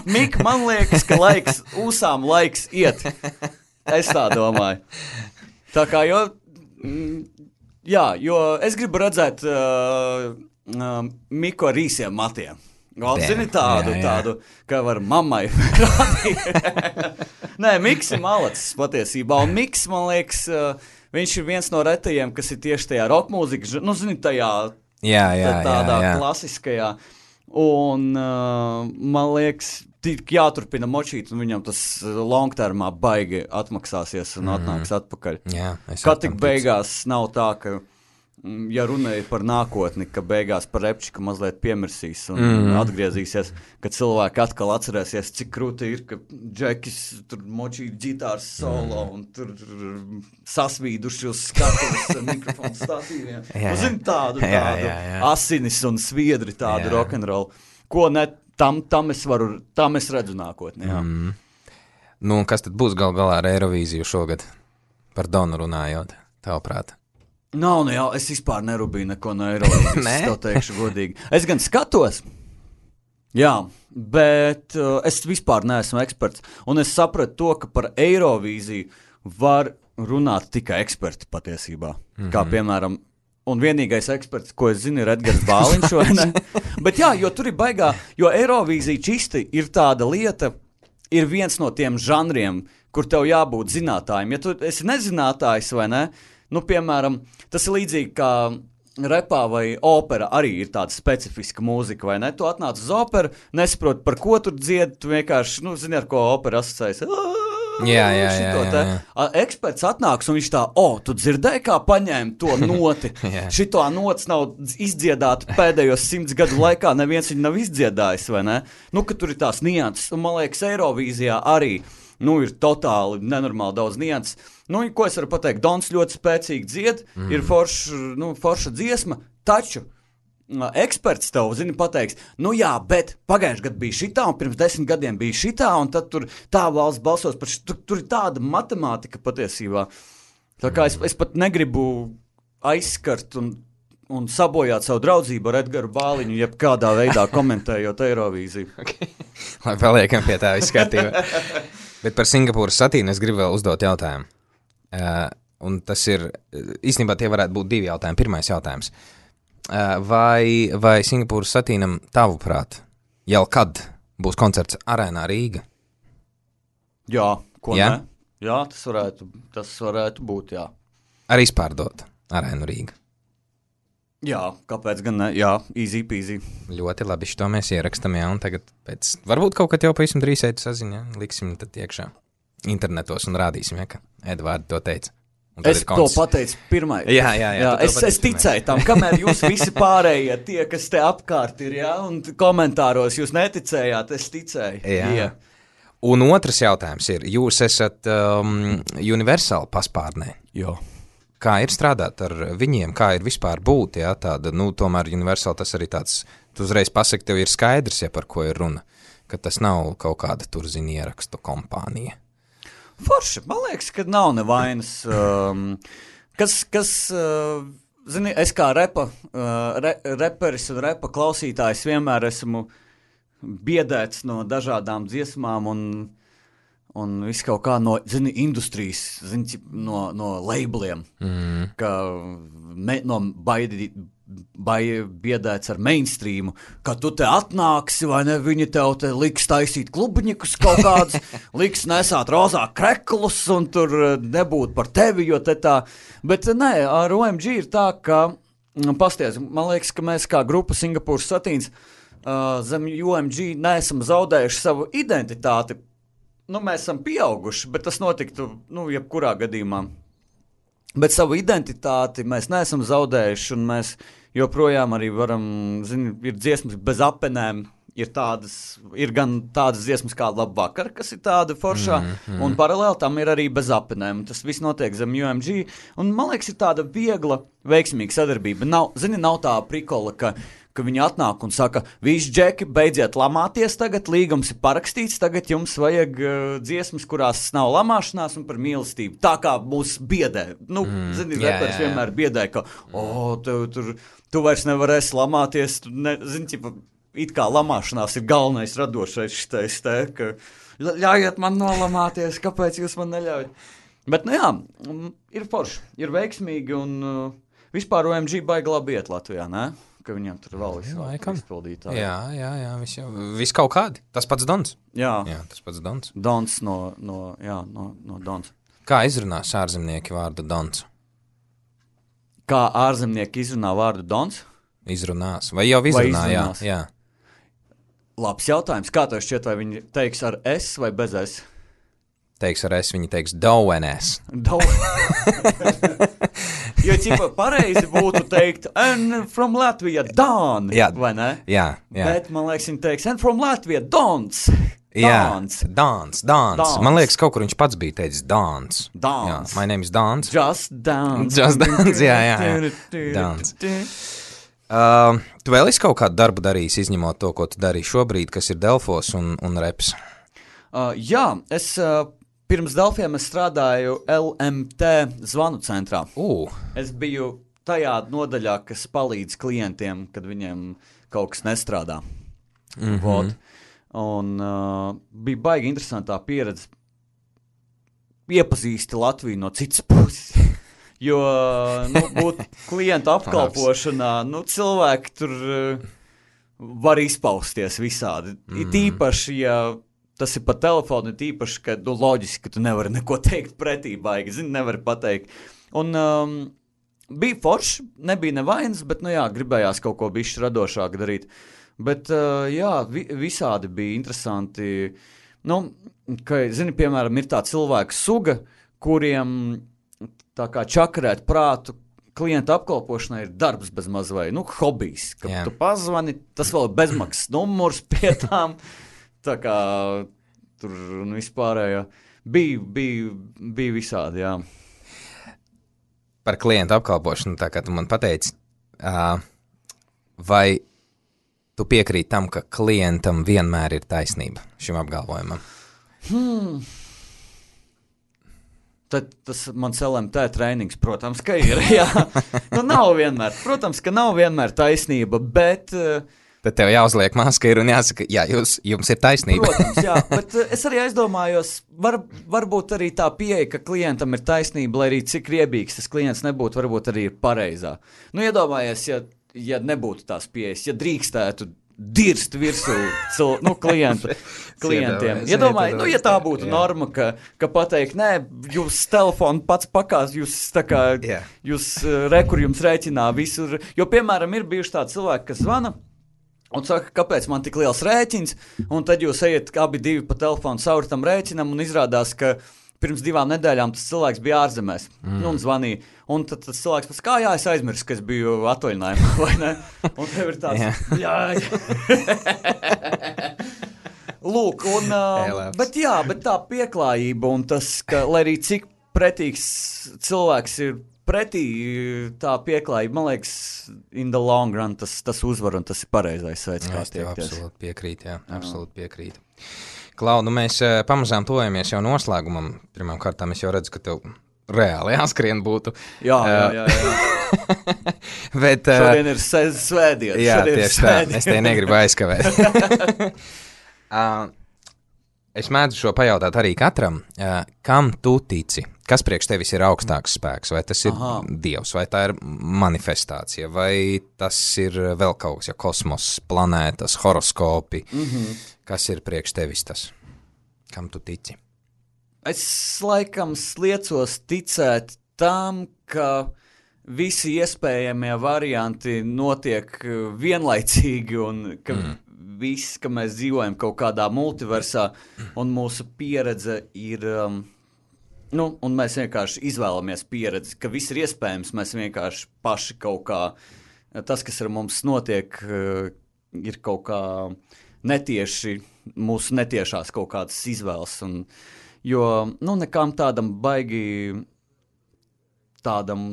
Mika, man liekas, ka laiks, ūsām laiks iet. Es tā domāju. Tā kā, jo, jā, jo es gribu redzēt uh, uh, Miku ar īsiem matiem. Vēl zini tādu, jā, jā. tādu, ka var mammai rādīt. Nē, Miks ir malacis patiesībā, un Miks, man liekas, uh, viņš ir viens no retajiem, kas ir tieši tajā rockmūzikas, nu, zini, tajā Jā, jā, tādā jā, jā. klasiskajā. Un uh, man liekas, tik jāturpina močīt, un viņam tas longtermā baigi atmaksāsies un mm. atnāks atpakaļ. Jā, Kā tik beigās nav tā, ka, ja runēja par nākotni, ka beigās par repčiku mazliet piemirsīs un mm. atgriezīsies, ka cilvēki atkal atcerēsies, cik krūti ir, ka Džekis tur močīja ģitāras solo mm. un tur sasvīduši uz skatuves mikrofonu statīviem. Nu, zin, tādu, tādu jā, jā, jā. asinis un sviedri, tādu jā. Rock'n'roll. Ko ne, tam, tam es varu, tam es redzu nākotni, jā. Mm. Nu, kas tad būs gal galā ar Eirovīziju šogad? Par Donu runājot, tavuprāt? Nav, nu jā, es vispār nerubīju neko no Eirovīzijas, es tev teikšu godīgi. Es gan skatos, jā, bet uh, es vispār neesmu eksperts, un es sapratu to, ka par Eirovīziju var runāt tikai eksperti patiesībā, mm-hmm. kā piemēram, un vienīgais eksperts, ko es zinu, ir Edgars Bāliņš, vai ne? Bet jā, jo tur ir baigā, jo Eirovīzija čisti ir tāda lieta, ir viens no tiem žanriem, kur tev jābūt zinātājiem. Ja tu esi nezinātājs vai ne, nu, piemēram, tas ir līdzīgi kā repā vai opera arī ir tāda specifiska mūzika, vai ne? Tu atnāc uz operu, nesaproti, par ko tur dzied, tu vienkārši, nu, zini, ar ko opera asociējas. Jā, jā, jā, jā, jā. Eksperts atnāks un viņš tā, o, tu dzirdēji, kā paņēma to noti. Šito nots nav izdziedāta pēdējos simts gadu laikā, neviens viņu nav izdziedājis, vai ne? Nu, ka tur ir tās nianses, un man liekas, Eirovīzijā arī, nu, ir totāli nenormāli daudz nianses. Nu, ko es varu pateikt, Dons ļoti spēcīgi dzied, mm. ir forša, nu, forša dziesma, taču eksperts tev, zini, pateiks, nu jā, bet pagājuši gadu bija šitā, un pirms desmit gadiem bija šitā, un tad tur tā valsts balsos par šitā, tur, tur ir tāda matemātika patiesībā. Tā kā es, es pat negribu aizskart un, un sabojāt savu draudzību ar Edgaru Bāliņu, jeb kādā veidā komentējot Eirovīziju. Okay. Lai paliekam pie tā izskatījuma. Bet par Singapūras satīnu es gribu vēl uzdot jautājumu. Uh, un tas ir, īstenībā tie varētu būt divi jautājumi. Pirmais jautājums. Uh, vai, vai Singapūras satīnam tavuprāt, jau kad būs koncerts Arēnā Rīga? Jā, ko jā? ne? Jā, tas varētu, tas varētu būt, jā. Arī izpārdot Arēnu Rīga? Jā, kāpēc gan ne? Jā, easy peasy. Ļoti labi, šito mēs ierakstam, jā, un tagad pēc, varbūt kaut kad jau pavisam drīz eit saziņa, liksim tad iekšā internetos un rādīsim, ja, ka Edvardi to teica. Es to pateicu pirmai. Jā, jā, jā. jā es, es ticēju tam, kamēr jūs visi pārējie tie, kas te apkārt ir, jā, un komentāros jūs neticējāt, es ticēju. Jā. jā. Un otrs jautājums ir, jūs esat um, Universal paspārnē. Jā. Kā ir strādāt ar viņiem, kā ir vispār būt, jā, tāda, nu, tomēr Universal tas arī tāds, tu uzreiz pasaki, tev ir skaidrs, ja par ko ir runa, ka tas nav kaut kāda tur, zini, ierakstu kompānija. Forši, man liekas, ka nav nevainas, um, kas, kas uh, zini, es kā repa, uh, re, reperis un repa klausītājs vienmēr esmu biedēts no dažādām dziesmām un Un viss kaut kā no, zini, industrijas, zini, no, no labeliem, mm. ka me, no baidi, bai, biedēts ar mainstreamu, ka tu te atnāksi, vai ne, viņi tev te liks taisīt klubiņikus kaut kādus, liks nesāt rozā kreklus un tur nebūt par tevi, jo te tā, bet nē, ar O M G ir tā, ka, pasties, man liekas, ka mēs kā grupa Singapūras satīns uh, zem O M G neesam zaudējuši savu identitāti. Nu, mēs esam pieauguši, bet tas notiktu, nu, jebkurā gadījumā. Bet savu identitāti mēs neesam zaudējuši, un mēs joprojām arī varam, zini, ir dziesmas bez apenēm, ir tādas, ir gan tādas dziesmas kā Labvakar, kas ir tāda foršā, mm, mm. un paralēli tam ir arī bez apenēm. Tas viss notiek zem O M G, un man liekas, ir tāda viegla, veiksmīga sadarbība. Nav, zini, nav tā prikola, ka ka viņi atnāk un saka, visi džeki, beidziet lamāties tagad, līgums ir parakstīts, tagad jums vajag uh, dziesmas, kurās nav lamāšanās un par mīlestību. Tā kā mūs biedē. Nu, mm, zini, jā, repers jā, jā. vienmēr biedē, ka, o, tev tur, tu vairs nevarēsi lamāties, tu ne, zini, ķipa, it kā lamāšanās ir galvenais radošais šitais te, ka ļaujiet man nolamāties, kāpēc jūs man neļaujat. Bet, nu jā, ir forši, ir veiksmīgi un uh, vispār O M G baigi labi iet Latvijā, ne? Ka viņam tur vēl izpildītāji. Jā, jā, jā, viss jau, viss kaut kādi. Tas pats Dons. Jā. Jā, tas pats Dons. Dons no, no, jā, no, no Dons. Kā izrunās ārzemnieki vārdu Dons? Kā ārzemnieki izrunā vārdu Dons? Izrunās. Vai jau izrunā, vai jā, jā. Labs jautājums. Kā tev šķiet, vai viņi teiks ar S vai bez S? Teiks ar S, viņi teiks Dauenes. Dauenes. Jo, ķipa, pareizi būtu teikt, and from Latvia, Don, jā, vai ne? Jā, jā. Bet, man liekas, viņi teiks, and from Latvia, Dons. Jā, Dons, Dons, Dons. Man liekas, kaut kur viņš pats bija teicis Dons. Dons. Jā, my name is Dons. Just Dons. Just Dons, jā, jā, jā. Dons. Uh, tu vēl esi kaut kādu darbu darījis, izņemot to, ko tu darīji šobrīd, kas ir Delfos un, un reps? Uh, jā, es... Uh, pirms Delfiem es strādāju L M T zvanu centrā. Uh. Es biju tajā nodaļā, kas palīdz klientiem, kad viņiem kaut kas nestrādā. Mm-hmm. Vod. Un uh, bija baigi interesantā pieredze. Iepazīsti Latviju no citas puses. Jo, nu, būt klientu apkalpošanā, nu, cilvēki tur uh, var izpausties visādi. Mm. Ir tīpaši, ja tas ir pa telefonu, ir tīpaši, ka, nu, loģiski, ka tu nevari neko teikt pretī, baigi, zini, nevari pateikt. Un um, bija forši, nebija nevainas, bet, nu jā, gribējās kaut ko bišķi radošāk darīt. Bet, uh, jā, vi, visādi bija interesanti. Nu, ka, zini, piemēram, ir tā cilvēka suga, kuriem tā kā čakarēt prātu klienta apkalpošanai ir darbs bez maz vai, nu, hobijs. Kad yeah. tu pazvani, tas vēl bezmaksas numurs pie tām, tā kā tur un vispārējā. Bija, bija, bija visādi, jā. Par klientu apkalpošanu, tā kā tu man pateici, uh, vai tu piekrīt tam, ka klientam vienmēr ir taisnība šim apgalvojumam? Hmm. Tad tas mans L M T treinings, protams, ka ir, jā. Nu, nav vienmēr, protams, ka nav vienmēr taisnība, bet... Tad tev jāuzliek maska ir un jāsaka, jā, jūs, jums ir taisnība. Protams, jā, bet es arī aizdomājos, var, varbūt arī tā pieeja, ka klientam ir taisnība, lai arī cik riebīgs tas klients nebūtu, varbūt arī ir pareizā. Nu, iedomājies, ja ja nebūtu tās pieejas, ja drīkstētu dirst virsū cil, nu, klientu, klientiem. Iedomājies, nu, ja tā būtu jā. norma, ka, ka pateikt, nē, jūs telefonu pats pakās, jūs tā kā, yeah. jūs rekur jums rēķinā visur. Jo, piemēram, ir bijuši tādi cilvēki, kas zvana un saka, kāpēc man tik liels rēķins, un tad jūs ejat abi divi pa telefonu cauri tam rēķinam un izrādās, ka pirms divām nedēļām tas cilvēks bija ārzemēs, mm. nu, un zvanīja. Un tad tas cilvēks pēc kā, jā, es aizmirsu, ka es biju atvaļinājumā, vai ne? Un tev ir tāds, yeah. jā, jā. Lūk, un, uh, bet jā, bet tā pieklājība un tas, ka, lai arī cik pretīgs cilvēks ir pretī, tā pieklājība, man liekas, in the long run tas, tas uzvar un tas ir pareizais veids, kā tiekties. Absolūti piekrīt, jā, absolūti piekrīt. Klau, nu mēs uh, pamazām tojamies jau noslēgumam. Pirmām kārtām es jau redzu, ka tev reāli jāskrien būtu. Jā, jā, jā. jā. Bet, uh, šodien ir svētdienas. Jā, tieši tā. Es te negribu aizkavēt. uh, es mēdzu šo pajautāt arī katram. Uh, kam tu tici? Kas priekš tevis ir augstāks spēks? Vai tas ir Aha. Dievs, vai tā ir manifestācija, vai tas ir vēl kaut kas, ja kosmos, planētas, horoskopi? Mm-hmm. Kas ir priekš tevis tas? Kam tu tici? Es laikam sliecos ticēt tam, ka visi iespējamie varianti notiek vienlaicīgi un ka mm. viss, ka mēs dzīvojam kaut kādā multiversā un mūsu pieredze ir, um, nu, un mēs vienkārši izvēlamies pieredzi, ka viss ir iespējams, mēs vienkārši paši kaut kā, tas, kas ar mums notiek, ir kaut kā netieši, mūsu netiešās kaut kādas izvēles, un, jo, nu, nekam tādam baigi, tādam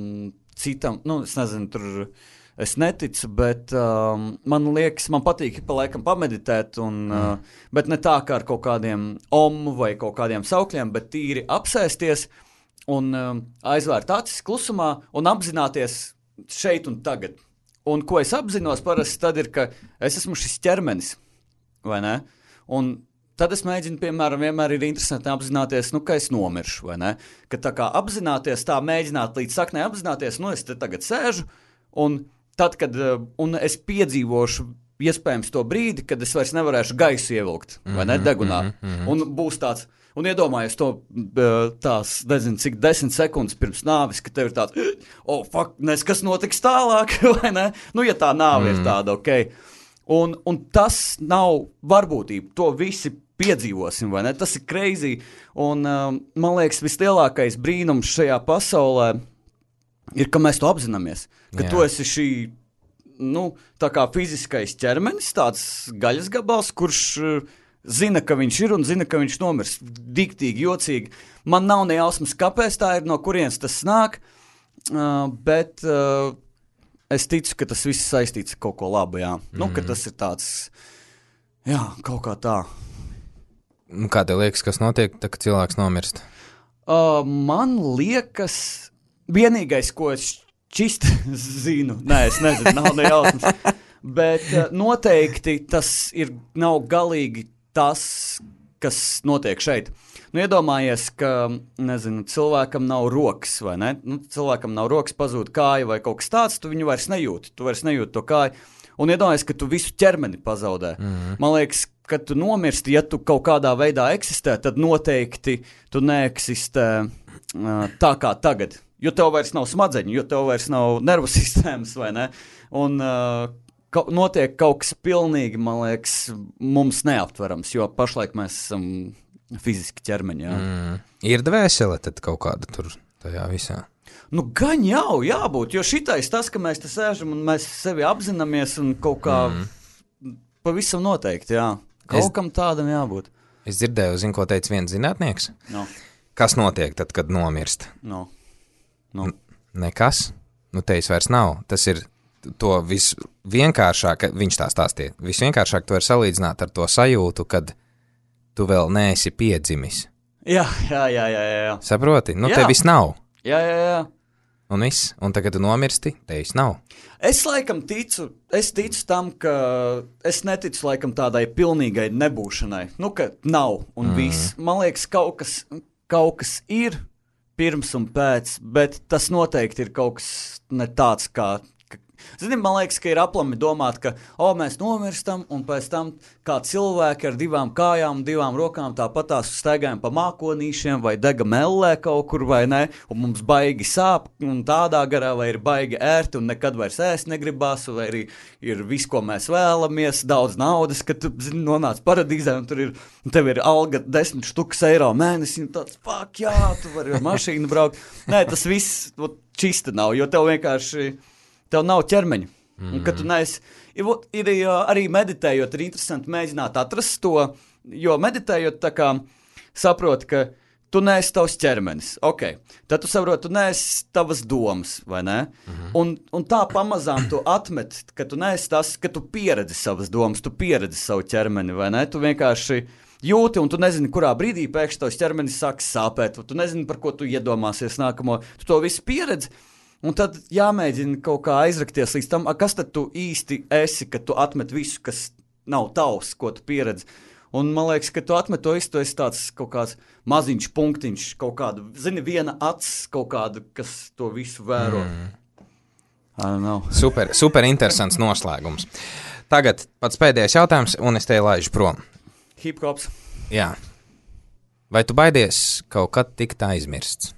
citam, nu, es nezinu, tur es neticu, bet um, man liekas, man patīk pa laikam pameditēt, un, mm. uh, bet ne tā kā ar kaut kādiem omu vai kaut kādiem saukļiem, bet tīri apsēsties un um, aizvērt acis klusumā un apzināties šeit un tagad. Un ko es apzinos parasti tad ir, ka es esmu šis ķermenis, vai ne? Un tad es mēģinu, piemēram, vienmēr ir interesanti apzināties, nu, ka es nomiršu, vai ne? Ka tā kā apzināties, tā mēģināt līdz saknē apzināties, nu, es te tagad sēžu, un tad, kad un es piedzīvošu iespējams to brīdi, kad es vairs nevarēšu gaisu ievilkt, vai ne, degunā, mm-hmm. un būs tāds, un iedomājies to tās, nezinu, cik desmit sekundes pirms nāvis, ka tev ir tāds, oh, fuck, nes, kas notiks tālāk, vai ne? Nu, ja tā nāve mm. ir tāda, ok. Un, un tas nav varbūtība, to visi piedzīvosim, vai ne? Tas ir crazy, un um, man liekas, vislielākais brīnums šajā pasaulē ir, ka mēs to apzināmies, ka Jā. Tu esi šī, nu, tā kā fiziskais ķermenis, tāds gaļas gabals, kurš uh, zina, ka viņš ir un zina, ka viņš nomirs. Diktīgi, jocīgi. Man nav ne jausmas, kāpēc tā ir, no kurienes tas nāk, uh, bet uh, es ticu, ka tas viss saistīts ar kaut ko labu, jā. Mm. Nu, ka tas ir tāds, jā, kaut kā tā. Nu, kā tev liekas, kas notiek, tā, kad cilvēks nomirst? Uh, man liekas, vienīgais, ko es čist zinu, nē, es nezinu, nav ne jausmas, bet uh, noteikti tas ir, nav galīgi tas, kas notiek šeit. Nu, iedomājies, ka, nezinu, cilvēkam nav rokas, vai ne? Nu, cilvēkam nav rokas, pazūd kāja vai kaut kas tāds, tu viņu vairs nejūti, tu vairs nejūti to kāju, un iedomājies, ka tu visu ķermeni pazaudē. Mm-hmm. Man liekas, kad tu nomirsti, ja tu kaut kādā veidā eksistē, tad noteikti tu neeksistē uh, tā kā tagad, jo tev vairs nav smadzeņu, jo tev vairs nav nervu sistēmas, vai ne? Un uh, ka, notiek kaut kas pilnīgi, man liekas, mums neaptverams, jo pašlaik mēs esam fiziski ķermeņi, jā. Mm. Ir dvēsele tad kaut kāda tur tajā visā? Nu, gan jau jābūt, jo šitais tas, ka mēs te sēžam un mēs sevi apzināmies un kaut kā mm. pavisam noteikti, jā. Kaut es, kam tādam jābūt. Es dzirdēju, zinu, ko teica viens zinātnieks. No. Kas notiek tad, kad nomirst? No. No. N- nekas? Nu, teis vairs nav. Tas ir to visvienkāršāk, viņš tā stāstīja, visvienkāršāk to var salīdzināt ar to sajūtu, kad tu vēl neesi piedzimis. Jā, jā, jā, jā, jā. Saproti? Nu, jā. te viss nav. Jā, jā, jā. Un viss. Un tagad tu nomirsti, te viss nav. Es laikam ticu, es ticu tam, ka es neticu laikam tādai pilnīgai nebūšanai. Nu, ka nav un mm. viss. Man liekas, kaut kas, kaut kas ir pirms un pēc, bet tas noteikti ir kaut kas ne tāds kā... Zini, man liekas, ka ir aplami domāt, ka o, mēs nomirstam, un pēc tam kā cilvēki ar divām kājām, divām rokām tāpatās staigājam pa mākonīšiem vai dega mellē kaut kur, vai ne, un mums baigi sāp, un tādā garā, vai ir baigi ērti, un nekad vairs ēst negribās, vai arī ir viss, ko mēs vēlamies, daudz naudas, ka tu, zini, nonāc paradīzē, un tur ir, tev ir alga desmit štukas eiro mēnesī, un tāds, fuck, jā, tu vari ar mašīnu braukt. Nē, tas viss čista nav, jo tev vienkārši... Tev nav ķermeņa. Mm. Un, kad tu neesi, ir, ir arī meditējot, ir interesanti mēģināt atrast to, jo meditējot tā kā saproti, ka tu neesi tavs ķermenis. Ok, tad tu saproti, tu neesi tavas domas, vai ne? Mm-hmm. Un, un tā pamazām tu atmet, ka tu neesi tas, ka tu pieredzi savas domas, tu pieredzi savu ķermeni, vai ne? Tu vienkārši jūti, un tu nezini, kurā brīdī pēkšņi tavs ķermenis sāks sāpēt, tu nezini, par ko tu iedomāsies nākamo, tu to visu pieredzi. Un tad jāmēģina kaut kā aizrakties līdz tam, kas tad tu īsti esi, kad tu atmet visu, kas nav tavs, ko tu pieredzi. Un man liekas, ka tu atmet to visu, tu esi tāds kaut kāds maziņš punktiņš, kaut kāda, zini, viena acs kaut kāda, kas to visu vēro. Mm. I don't know. Super, super interesants noslēgums. Tagad pats pēdējais jautājums, un es te laižu prom. Hip-hops. Jā. Vai tu baidies kaut kad tikt aizmirsts?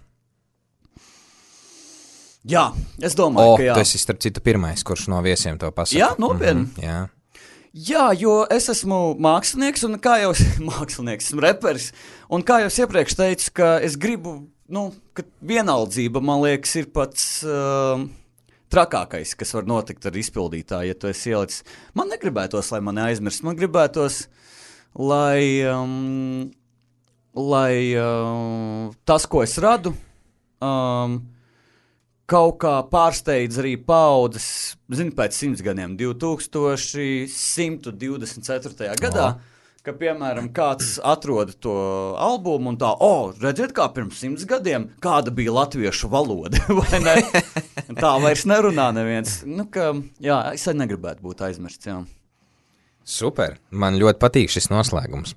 Jā, es domāju, o, ka jā. O, tu esi starp citu pirmais, kurš no viesiem to pasaka. Jā, nopietni. Mm-hmm, jā. Jā, jo es esmu mākslinieks, un kā jau mākslinieks, esmu reperis, un kā jau es iepriekš teicu, ka es gribu, nu, ka vienaldzība, man liekas, ir pats uh, trakākais, kas var notikt ar izpildītāju, ja tu esi ielicis. Man negribētos, lai mani aizmirst, man gribētos, lai, um, lai uh, tas, ko es radu, um, kaut kā pārsteidz arī paudzes, zini, pēc simts gadiem, divi tūkstoši simts divdesmit ceturtajā gadā, o. Ka, piemēram, kāds atrod to albumu un tā, o, redziet, kā pirms simts gadiem, kāda bija latviešu valoda, vai ne? Tā vairs nerunā neviens. Nu, ka, jā, es arī negribētu būt aizmirsts, jā. Super, man ļoti patīk šis noslēgums.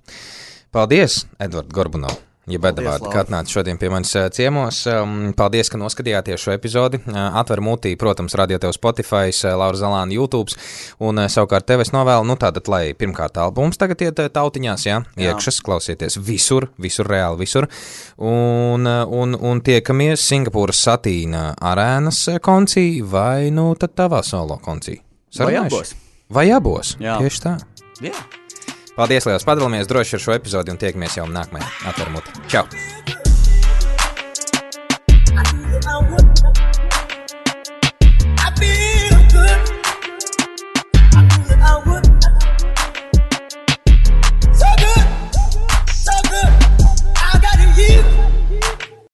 Paldies, Edvard Gorbunov. Ja Bedavārdi, ka atnāca šodien pie manis ciemos. Paldies, ka noskatījāties šo epizodi. Atver mutī, protams, radio tev Spotify, Laura Zalāna YouTube, un savukārt tev es novēlu, nu tātad, lai pirmkārt albums tagad iet tautiņās, jā, jā. Iekšas, klausieties visur, visur, reāli visur, un, un, un tiekamies Singapūras Satīna arēnas koncī, vai nu tad tavā solo koncī? Sarunājuši? Vai abos? Vai abos, jā. Tieši tā. Jā. Paldies, liels, padalāmies droši ar šo epizodi un tiekamies jau nākamajā Atver muti. Čau!